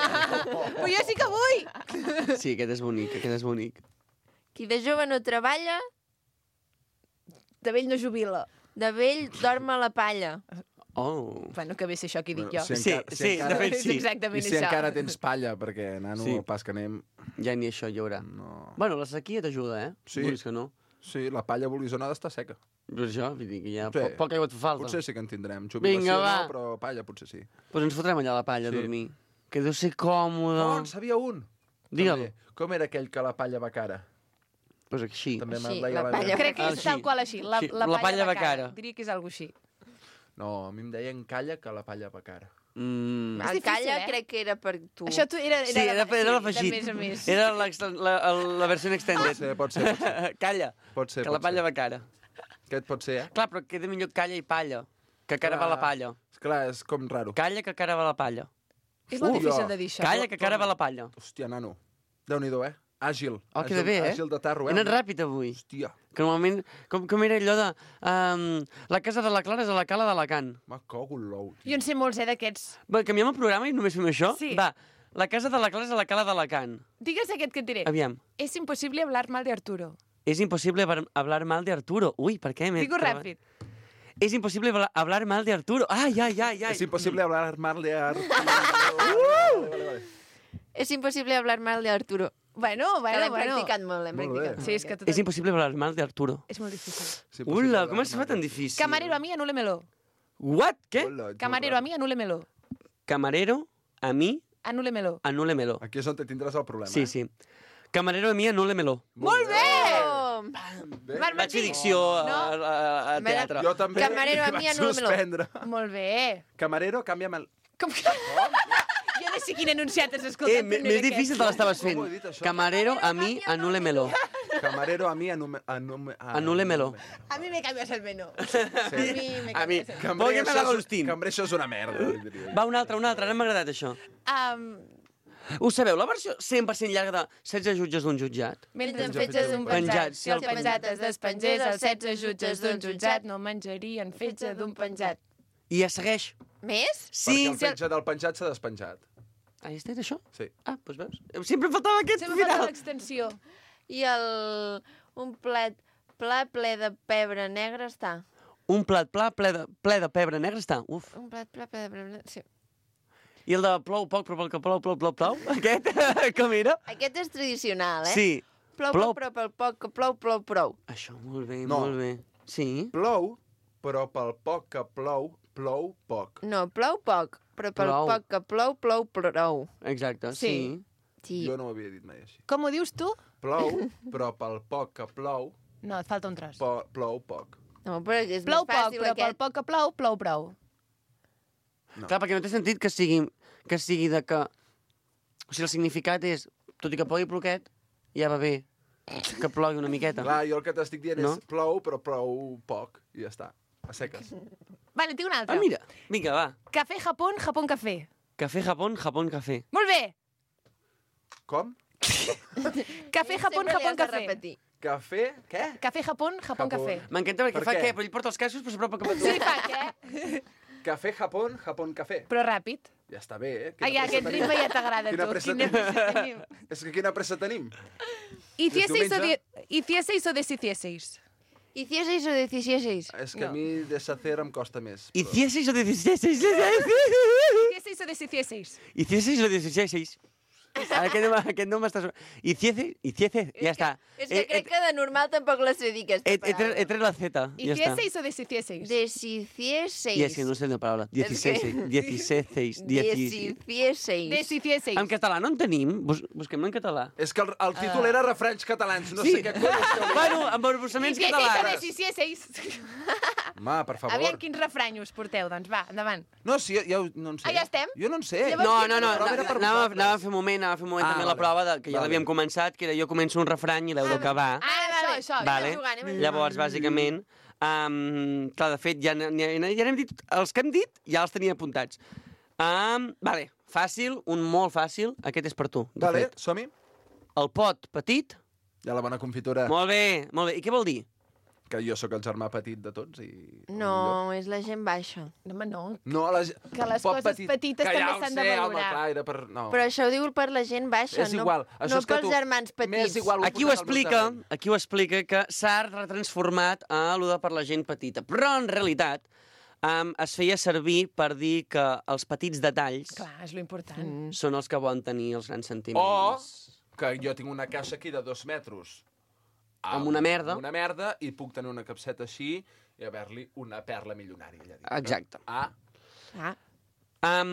Però jo sí que vull! Sí, aquest és bonic, aquest és bonic. Qui de jove no treballa, De vell no jubila. de vell dorm a la palla. Oh. Bueno, que bé sé això que dic jo. Si Sí, encara- sí, de fet És sí. exactament I si això. encara tens palla, perquè, nano, Sí. el pas que anem... Ja ni això hi haurà. No. Bueno, la sequia t'ajuda, eh? Sí. Vulguis que no. Sí, la palla vulguis o no ha d'estar seca. Per això, vull dir que ja Sí. sí. poca aigua et fa falta. Potser sí que en tindrem. Jubilació Vinga, va. no, però palla potser sí. Pues ens fotrem allà a la palla a Sí. dormir. Que deu ser còmode. Oh, en sabia un! Digue'l. També. Com era aquell que la palla va cara? Pues així. També Així, me'n deia la la palla meva. Crec que Ah, és sí. tal qual així. La, Sí, la, la palla, palla va va cara. cara. Diria que és algo així. No, a mi em deien calla que la palla va cara. Mm. És El difícil, calla eh? crec que era per tu. Això tu era, era, Sí, era, de, era sí, l'afegit. de més a més. Era l'ex- la, la, la versió Pot extended. ser, pot ser, pot ser. Calla. Pot ser, que la pot palla ser. va cara. Aquest pot ser, eh? Clar, però queda millor calla i palla. Que cara va la palla. Clar, és com raro. Calla que cara va la palla. És molt Uh, difícil jo. de dir això. Calla que cara va la palla. Hòstia, nano. Déu-n'hi-do, eh? Àgil. Oh, queda bé, eh? Àgil de tarro, eh? He anat ràpid avui. Hòstia, Que normalment... Com, com era allò de... Um, la casa de la Clara és a la cala d'Alacant. me cago en l'ou. Jo en sé molts, eh, d'aquests. Va, canviem el programa i només fem això? Sí. Va, la casa de la Clara és a la cala d'Alacant. Digues aquest que et diré. Aviam. Es imposible hablar mal de Arturo. Es imposible hablar- hablar mal de Arturo. Uy, ¿por qué? Me Digo ràpid. Es imposible habla- hablar mal de Arturo. Ay, ay, ay, ay. És impossible hablar mal de Arturo. És impossible hablar mal de Arturo. Bueno, Que bueno, l'hem bueno. practicat molt, l'hem Molt practicat bé. Sí, és que tot... Es imposible hablar mal de Arturo. és molt difícil. És impossible Ula, hablar com es fa mal tan de- difícil? Camarero a mí, anúlemelo. What? ¿Qué? Hola, ets Camarero a molt mí, anúlemelo. Camarero, a mí, Anúlemelo. anúlemelo. raro. Aquí és on te tindràs el problema, Sí, eh? sí. Camarero a mí, anúlemelo. Molt bé! Oh! Bé. Marc Vaig fer Martí. dicció a, No. a, a teatre. Jo també. Camarero, a i mi, vaig anúlemelo. suspendre. Molt bé. Camarero, canvia'm el... Com que... Jo no sé quin enunciat has escoltat. Eh, més més difícil te l'estaves fent. Com ho he dit, això? Camarero, a mí, anúlemelo. Camarero a mi, anume... anume... Anúlemelo. A mí me cambias el menú. Sí. A mí me A mi. cambias el menú. Cambrer, Póngame això la és- Agustín. Cambrer, això és una merda. diria. Va, un altre, un altre. Ara m'ha agradat això. Um, Ho sabeu, la versió cent per cent llarga de setze jutges d'un jutjat? mentre en Mentre fetge d'un penjat, penjat, si si el el penjat es despengés, els setze jutges d'un jutjat no menjarien fetge d'un penjat. I ja segueix. Més? Sí, Perquè el penja del penjat s'ha despenjat. Ah, has dit això? Sí. Ah, doncs veus? Sempre em faltava aquest Sempre falta final. l'extensió. I el... un plat pla ple de pebre negre està. Un plat pla ple de, ple de pebre negre està. Uf. Un plat pla ple de pebre negre... Sí. I el de plou poc, però pel que plou, plou, plou, plou. Aquest, com era? Aquest és tradicional, eh? Sí. Plou, Plou. plou, però pel poc que plou, plou, prou. Això, molt bé, No. molt bé. Sí. Plou, però pel poc que plou, plou poc. No, plou poc, però pel Plou. poc que plou, plou prou. Exacte, Sí. sí. Sí. Jo no ho havia dit mai així. Com ho dius tu? Plou, però pel poc que plou, No, et falta un tros. po plou poc. No, però és Plou més poc, fàcil però pel aquest. poc que plou, plou prou. No. Clar, perquè no té sentit que sigui, que sigui de que... O sigui, el significat és, tot i que plogui ploquet, ja va bé que plogui una miqueta. Clar, jo el que t'estic dient No? és plou, però plou poc, i ja està. A seques. Vale, tinc un altre. Ah, mira, vinga, va. Café Japón, Japón Café. Café Japón, Japón Café. Molt bé! Com? Café, Japón, Sempre li Japón, has de café. repetir. Cafè, què? Café, Japón, Japón, Japón. café. M'encanta perquè Per fa què? què? Però ell porta els casos però s'apropa cap a tu. Sí, fa què? Cafè, Japón, Japón, cafè. Però ràpid. Ja està bé, eh? Ai, Quina aquest pressa ritme tenim. ja t'agrada a Quina tu. pressa Quina tenim. pressa tenim. És que quina pressa tenim. Hicieseis o, diumenge? de... Hicieseis o deshicieseis? Hicieseis o deshicieseis? És que a mi deshacer em costa més. Hicieseis o deshicieseis? Hicieseis o deshicieseis? Hicieseis o deshicieseis? Aquest no, aquest no m'està... Hicieseis? Hicieseis? Ja està. És que crec que de normal tampoc la sé dir, aquesta He, he, tret, he paraula. tret la Z. Ja està. Hicieseis o deshicieseis? Deshicieseis. I és que no sé la paraula. Dieciséis. Dieciséis. Dieciséis. Deshicieseis. Deshicieseis. En català no en tenim? Bus busquem en català. És que el, el títol era refranys catalans, no Sí. sé què collons que Bueno, amb embossaments Hicieseis o catalans. deshicieseis? Home, per favor. Aviam quins refranyos porteu, doncs va, endavant. No, sí, ja, ja ho- no en sé. Ah, ja estem? Jo no en sé. Llavors, No, no, no, La prova era per anàvem, vosaltres. anàvem a fer un moment, anàvem a fer un moment Ah, també la vale. prova de, que ja Vale. l'havíem començat, que era jo començo un refrany i l'heu d'acabar. Ah, això, això. Vale. jugant, anem a jugar. Llavors, bàsicament, um, clar, de fet, ja, ja, ja n'hem dit, els que hem dit ja els tenia apuntats. Um, vale, fàcil, un molt fàcil, aquest és per tu, de Vale, fet. som-hi. El pot petit, Ja la bona confitura. molt bé, molt bé. I què vol dir? Que jo sóc el germà petit de tots i... No, és la gent baixa. No, home, no. No, la... Que les pot coses petites que també ja ho s'han de sé, Home, valorar. clar, era per... No. Però això ho diu per la gent baixa, És igual. no, Això no és que pels tu- germans petits. M'és igual, Aquí ho posat al meu explica, terreny. aquí ho explica que s'ha retransformat a allò de per la gent petita. Però, en realitat, um, es feia servir per dir que els petits detalls Clar, és lo important. Mm. són els que volen tenir els grans O sentiments. que jo tinc una caixa aquí de dos metres. Amb una merda. Amb una merda, i puc tenir una capseta així i haver-li una perla milionària. Allà dintre. Exacte. Ah, Ah,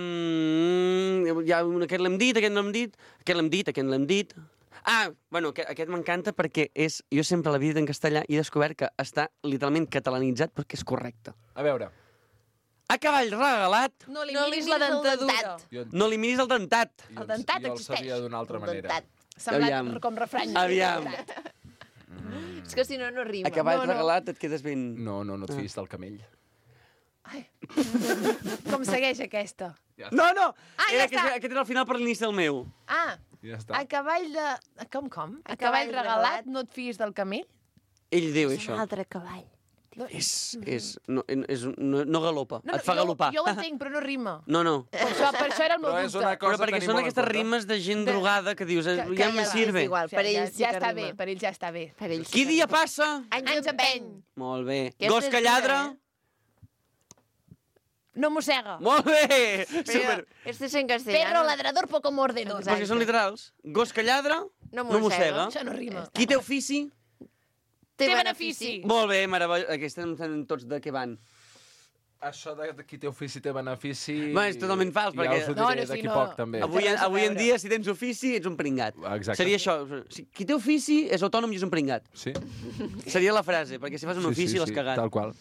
Um, ja, un- aquest l'hem dit, aquest no l'hem dit, aquest l'hem dit, aquest l'hem dit. Ah, bueno, aquest, aquest m'encanta perquè és, jo sempre l'he dit en castellà i he descobert que està literalment catalanitzat perquè és correcte. a veure. A cavall regalat, No li No li miris la miris el dentadura. dentat. Jo, no li miris el dentat. jo, El dentat jo el existeix. sabia d'una altra un manera. dentat. Semblat Aviam. com refrany. Aviam. És que si no, no rima. A cavall No, no. regalat et quedes ben... No, no, no et fiïs del camell. Com segueix aquesta? Ja No, no! Ah, ja era, aquest, està. aquest era el final per l'inici del meu. Ah, Ja està. a cavall de... Com, com? A, A cavall cavall regalat, regalat. no et fiïs del camell? Ell diu És això. un altre cavall. És, és, no, és, no, no galopa, No, no, et fa jo, galopar. jo ho entenc, però no rima. No, no. Per això, per això era el meu Però és dubte. una cosa Però perquè a tenir són molt en aquestes compte. rimes de gent De- drogada que dius, eh, que- ja que me ja va, sirve. És igual, per ja, ells sí ja que està rima. bé, per ells ja està bé. Per ells Qui sí que dia rima. passa? Anys Anys empeny. empeny. Molt bé. Aquesta Gos és que dura, lladra? No mossega. Molt bé! Però Super. este és en castellano. Perro ladrador poco mordedor. Perquè són literals. Gos que lladra, No no mossega. Això no rima. Qui té ofici? Té Té benefici. benefici. Molt bé, meravellós. Aquestes em semblen tots de què van. Això de, de qui té ofici té benefici... Bueno, és totalment fals, ja perquè- us ho diré No, no, sí, d'aquí no. poc, també. Avui- Avui, res a avui en veure. dia, si tens ofici, ets un pringat. Exacte. Seria això. Si- Qui té ofici és autònom i és un pringat. Sí? Seria la frase, perquè si fas un ofici l'has cagat. Tal qual.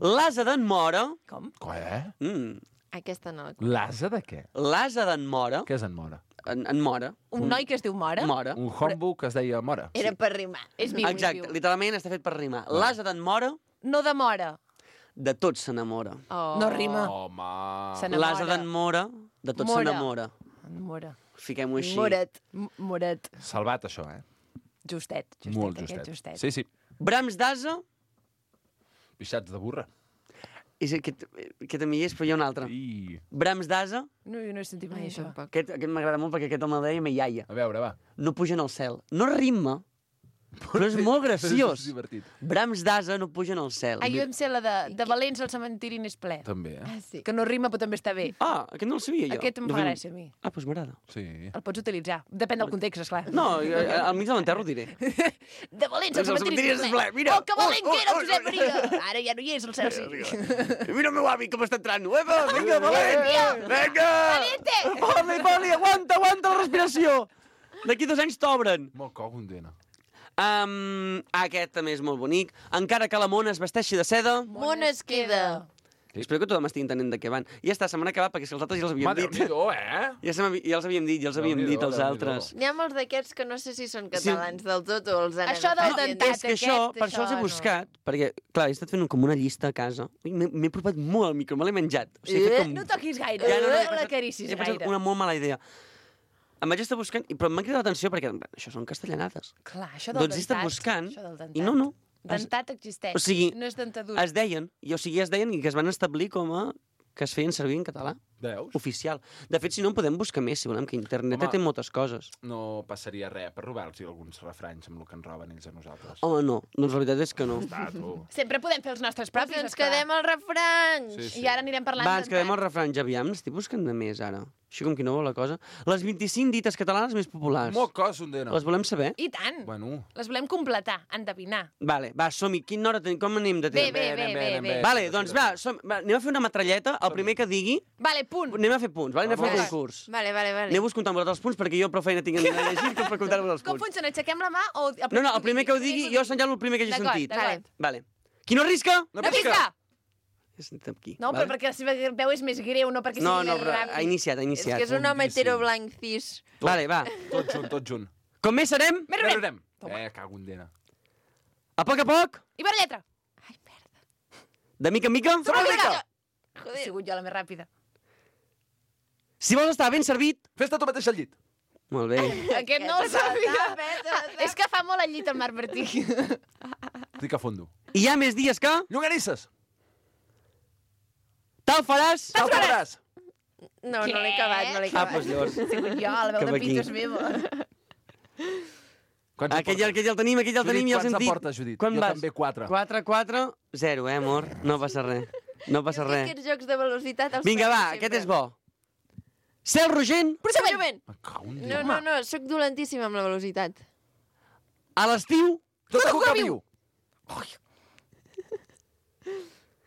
L'ase d'en Mora... Com? Què? Mm, Aquesta no. L'asa de què? l'ase d'en Mora... Què és en Mora? En, en Mora. Un noi que es diu Mora? Mora. Un homebook que es deia Mora. Era per rimar. És viu, Exacte, és viu. literalment està fet per rimar. L'ase d'en Mora, No demora. de tot s'enamora. Oh. No rima. Home... S'enamora. L'ase d'en Mora, de tot Mora. s'enamora. Mora. Fiquem-ho així. Moret. M- Moret. Salvat, això, eh? Justet. justet Molt aquest, justet. justet. Sí, sí. Brams d'ase, Pixats de burra. és aquest, aquest també hi és, però hi ha un altre. I... Brams d'ase, No, jo no he sentit mai això. aquest, aquest m'agrada molt perquè aquest home el deia me iaia. A veure, va. No pugen al cel. No rima, però és molt graciós. És divertit. Brams d'ase no pugen al cel. Ah, jo em sé la de, de Valents al cementiri n'és ple. També, eh? Ah, sí. Que no rima, però també està bé. Ah, aquest no el sabia jo. Aquest em De fa fet- gràcia a mi. Ah, doncs m'agrada. Sí. El pots utilitzar. Depèn del context, esclar. No, jo, eh, al mig de l'enterro ho diré. De Valents al Doncs el cementiri cementiri n'és és ple. ple, mira. Oh, que valent Oh, que era oh, el Josep oh, Maria! Ara ja no hi és, el cel sí. Mira el meu avi com està entrant. Epa, vinga, valent! Vinga! Valiente! Poli, poli, aguanta, aguanta la respiració! D'aquí dos anys t'obren. Molt cogondena. Um, aquest també és molt bonic. Encara que la mona es vesteixi de seda... Món es queda. Espero que tothom estigui entenent de què van. I ja està, se m'han acabat perquè si els altres ja els havíem Home, dit. Déu-n'hi-do, eh? Ja, se m'havi- ja els havíem dit, ja els havíem Déu-n'hi-do, dit els Déu-n'hi-do. altres. N'hi ha molts d'aquests que no sé si són catalans del tot o els han Això del agafat i han dentat, dit- És que això, aquest, per això els he això no. buscat, perquè, clar, he estat fent com una llista a casa. Ui, M'he m'he apropat molt al micro, me l'he menjat. O sigui, he fet com... No toquis gaire, Ja, no, no, he no pensat- l'acaricis He pensat gaire. una molt mala idea. em vaig estar buscant, i- però m'ha cridat l'atenció perquè això són castellanades. Clar, això del Doncs he estat dentat, buscant, això del dentat. i no, no. Es, Dentat existeix, o sigui, no és dentadura. es deien, i o sigui, es deien i que es van establir com a que es feien servir en català. Veus? Oficial. De fet, si no, en podem buscar més, si volem, que internet Home. té moltes coses. No passaria res per robar-los alguns refranys amb el que ens roben ells a nosaltres. Home, no. Doncs la veritat és que no. Està, tu. Sempre podem fer els nostres Però propis, si ens esclar. quedem als refranys. Sí, sí. I ara anirem parlant Va, ens quedem al dentat. refrany, aviam, n'estic buscant de més, ara. Així com qui no vol la cosa. Les vint-i-cinc dites catalanes més populars. Molt cos, un dena. Les volem saber? I tant. Bueno. Les volem completar, endevinar. Vale, va, som-hi. Quina hora tenim? Com anem de Bé, temps? bé, bé, bé, bé. Vale, doncs va, som, va, anem a fer una metralleta. El primer que digui, Vale, punt. anem a fer punts, vale? Anem a fer Vale. un concurs. Vale, vale, vale. Aneu-vos comptant vosaltres els punts perquè jo prou feina tinc a llegir que per comptar-vos els Com punts. funciona? Aixequem la mà o... No, no, el primer que ho digui, jo assenyalo el primer que hagi D'acord, sentit. d'acord. Vale. Qui no arrisca? No No pisca! He sentit aquí. No, vale? però perquè la seva veu és més greu, no perquè No, sigui no, més però ràpid. ha iniciat, ha És iniciat. que és un home Boníssim. hetero blanc cis. Vale, va. Tot junt, tot junt. Com més serem, Més Més rem. rem. Eh, cago en dena. a poc a poc, I per lletra. de mica en mica, Sobre la mica. He Joder. sigut jo la més ràpida. si vols estar ben servit... Fes-te tu mateix al llit. Molt bé. Aquest no el sabia. És que fa molt al llit el Marc Martí. Estic a fondo. I hi ha més dies que... Llonganisses. Tal faràs... Tal faràs. No, Què? no l'he acabat, no l'he Ah, acabat. doncs llavors... He sigut jo, la veu Cap de aquí. pito és meva. Quants en Aquell, ja- portes? aquell ja el tenim, aquell ja el Judit, tenim, ja el quants en sentit. portes, Judit? Quan Jo vas? també, quatre. quatre, quatre, zero, eh, amor? No passa res. No passa Jo res. aquests jocs de velocitat els Vinga, faig va, sempre. aquest és bo. Cel rogent, Procediment. Me cago en No, Déu. no, no, sóc dolentíssima amb la velocitat. a l'estiu, Tot a cuca viu.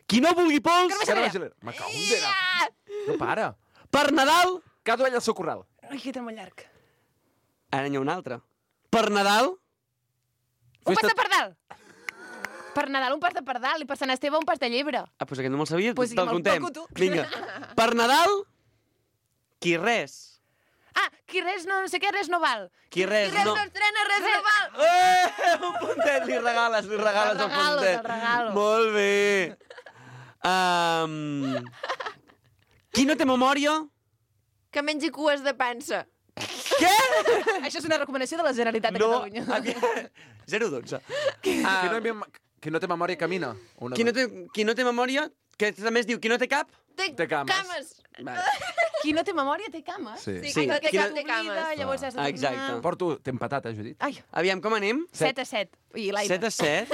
qui no vulgui pols, Carme Giler. Me cago en dena. No para. per Nadal... Cada ell al seu corral. Ai, que era molt llarg. Ara n'hi ha un altre. Per Nadal, Un pas Festa- de pardal. Per Nadal un pas de pardal i per Sant Esteve un pas de llebre. ah, doncs aquest no me'l sabia, Pues pues sí, te'l me'l contem. toco tu. Vinga. Per Nadal, qui res. Ah, qui res no, no sé què, res no val. Qui res, Res no... no estrena, res no val. Eh, un puntet, li regales, li regales Te'l el regalo, puntet. te'l regalo. Molt bé. Um, qui no té memòria? Que mengi cues de pansa. Què? Això és una recomanació de la Generalitat de No, Catalunya. zero dotze. Qui Uh, no, mem- qui no té memòria camina. Una qui, no té, qui no té memòria, que també es diu qui no té cap? Té, Té cames. cames. Vale. Qui no té memòria té cames. Sí. Sí. Qui no té Qui no- cap té cames. Llavors has de Ah, exacte. Porto... T'he empatat, eh, Judit? Ai, Aviam, com anem? set a set. I l'aire. set a set.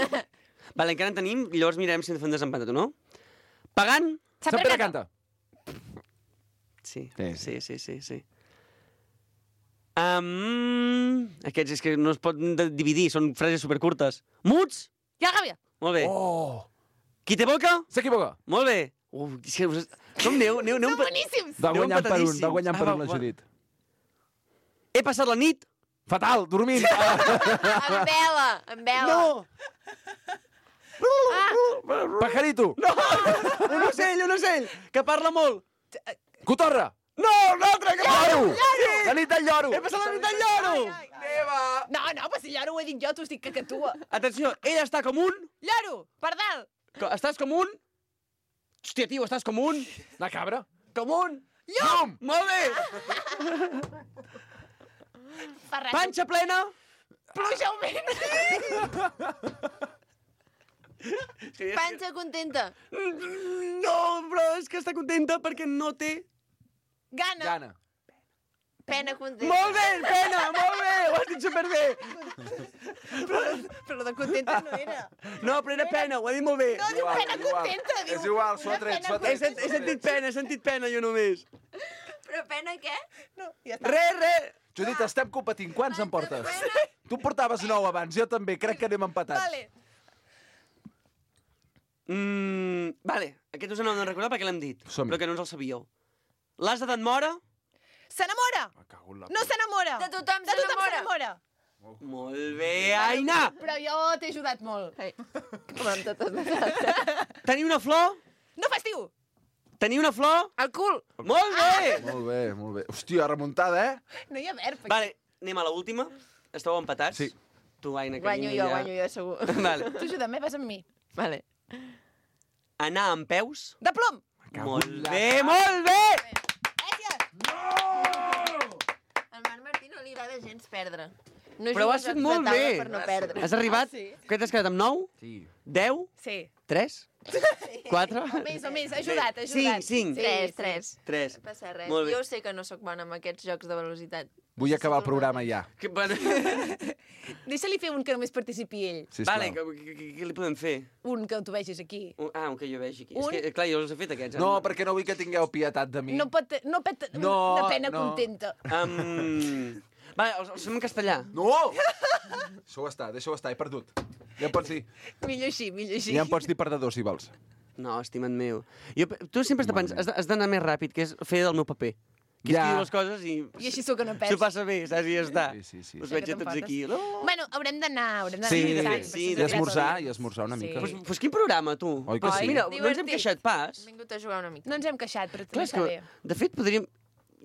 Vale, encara en tenim, i llavors mirarem si hem de fer un desempat o no. Pagant? Sant Sant Pere Pere canta. canta. Sí, Sí, sí, sí, sí. sí. Um, aquests és que no es pot de- dividir, són frases supercurtes. Muts? I la gàbia. Molt bé. Oh! Qui té boca? S'equivoca. Molt bé. Uf, és que us... Com aneu? aneu, aneu Són boníssims. Va Aneu guanyant per un, va empatadíssims. guanyant per Ah, un la va, va. Judit. He passat la nit? Fatal, dormint. Ah. Amb vela, amb vela. No! Pajarito. No! Un ocell, un ocell, que parla molt. Cotorra. No, un altre que Lloro. parla. La nit del lloro. He passat la nit del lloro. No, no, però si lloro ho he dit jo, tu estic que que tu. Atenció, ell està com un... Lloro, pardal. Co- Estàs com un... Hòstia, tio, estàs com un... La cabra. Com un... Llum! Molt bé! Ferrat. Panxa plena... Pluja augment. Panxa contenta. No, però és que està contenta perquè no té... Gana. Gana. Pena contenta. Molt bé, pena, molt bé, ho has dit superbé. Però lo de contenta no era. No, però era pena, ho ha dit molt bé. No, diu pena contenta. Diu, És igual, s'ho ha una tret, pena s'ho ha He, tret. sent, he sentit pena, he sentit pena jo només. Però pena què? No, ja està. Re, re. Judit, estem competint. Quants en portes? Tu en portaves nou abans, jo també. Crec que anem empatats. Vale. Mm, vale, aquest us aneu de recordar perquè l'hem dit, Som-hi. però que no ens el sabíeu. L'ase d'en Mora? S'enamora. Me cago en la No s'enamora. De tothom De tothom s'enamora. s'enamora. Molt bé, Aina! Però jo t'he ajudat molt. Ai, com amb totes les... Tenir una flor? No festiu. Tenir una flor? El cul. Molt bé! Molt bé, molt bé. Hòstia, remuntada, eh? No hi ha verb. aquí. Vale, anem a l'última. Esteu empatats? Sí. Tu, Aina, Guanyo carinyo, jo, ja... guanyo jo, segur. Vale. Tu ajuda'm, eh? Vas amb mi. Vale. Anar amb peus? De plom. Molt bé, molt bé! Gràcies. El Marc m'agrada gens perdre. No Però ho jugo has a fet jocs molt de taula bé. per no perdre. Has arribat... Ah, sí? Què t'has quedat amb nou? Sí. deu? Sí. tres? quatre? O més, o més, ha ajudat, ha ajudat. cinc, cinc. Tres, tres. tres. No passa res. Molt bé. Jo sé que no sóc bona amb aquests jocs de velocitat. Vull acabar el programa ja. Que, bueno, Deixa-li fer un que només participi ell. Sisplau. vale, què, què, què li podem fer? Un que tu vegis aquí. Un- Ah, un que jo vegi aquí. Un? És que, clar, jo els he fet aquests. No, perquè no vull que tingueu pietat de mi. No pot... No pot... No, de pena no. contenta. Um... Va, els, els fem en castellà. No! Deixa-ho estar, deixa-ho estar, he perdut. Ja em pots dir, Millor així, millor així. ja em pots dir perdedor, si vols. No, estimat meu. Jo, tu sempre has de pensar, has de- has d'anar més ràpid, que és fer del meu paper. Que Ja. escriu les coses i... I així sóc que no S'ho perds. passa bé, saps? I ja està. Sí, sí, sí. Us Ja veig que a tots t'enfates. aquí. No. Bueno, haurem d'anar, haurem d'anar. Sí, pensant, sí, i per si esmorzar, secret. i esmorzar una mica. Sí. Pues, pues quin programa, tu? Oi que sí? Mira, no ens hem Divertit. queixat pas. He vingut a jugar una mica. No ens hem queixat, però Clar, també és està que, bé. de fet, podríem...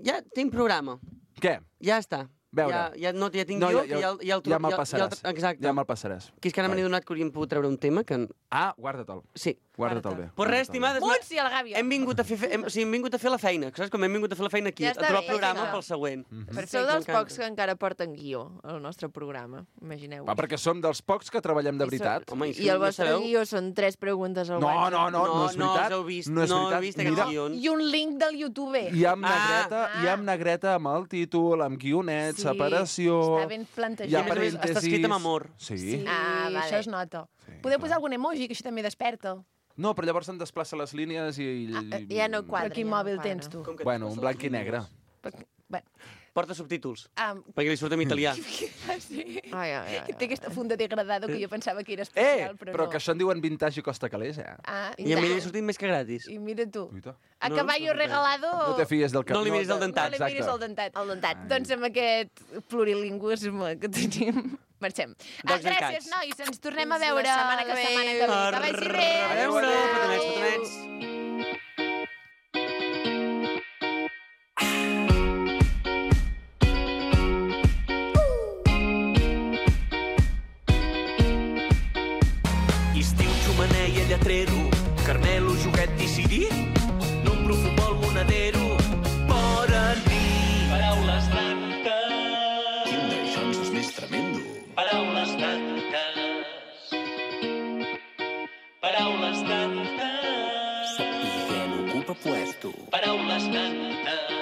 Ja tinc programa. Què? Ja està. Veure. Ja, ja, no, ja tinc No, jo, ja, ja, ja, ja, el, ja me'l ja, passaràs. el- exacte. Ja me'l passaràs. Que és que ara me n'he donat que hauríem pogut treure un tema que... Ah, guarda-te'l. Sí. Guarda-te'l bé. Pues res, estimades... Muts i a la gàbia. Hem vingut a fer, fe- hem, o sigui, hem vingut a fer la feina, saps? Com hem vingut a fer la feina aquí, Ja a està trobar bé, el programa ja està. pel següent. Sou dels m'encanta. pocs que encara porten guió al nostre programa, imagineu. Va, perquè som dels pocs que treballem de veritat. Home, I el vostre guió són tres preguntes al No, WhatsApp. no, no, no, és no veritat. els heu vist, no és no heu veritat. vist aquests Mira, guions. I un link del YouTube. hi ha amb Ah. negreta, hi ha amb negreta amb el títol, amb guionets, Sí, separació... està ben plantejat. Hi ha I a més a més, parèntesis... està escrit amb amor. Sí. Sí, Ah, vale. això es nota. Sí, Podeu clar. posar algun emoji, que això també desperta. No, però llavors se'n desplaça les línies i... Ah, ja no quadra. Però quin ja no mòbil quadra. tens, tu? Com que Bueno, un blanc i negre. Bueno, Porta subtítols, ah, perquè li surt en italià. sí. Ai, ai, ai, Té aquesta funda degradada que jo pensava que era Eh, especial, però, però no. que això en diuen vintage i costa calés, eh? Ah, I a mi li ha sortit més que gratis. I mira tu. Uita. A No, caballo no, no, regalado... No te fies del cap. No li miris el dentat. No li miris el dentat. El dentat. Doncs amb aquest plurilingüisme que tenim, marxem. Ah, Dogs and gràcies, cats. nois. Ens tornem a Fins la veure setmana que la ve. setmana que ve. Que vagi bé. A veure, petonets, petonets. Estiu, xumeneia, lletrero, Carmelo, joguet decidit, número, futbol, monedero, fora nit. Paraules tantes. Quin d'això és més tremendo. Paraules tantes. Paraules tantes. Sapiguem ocupa puesto. Paraules tantes.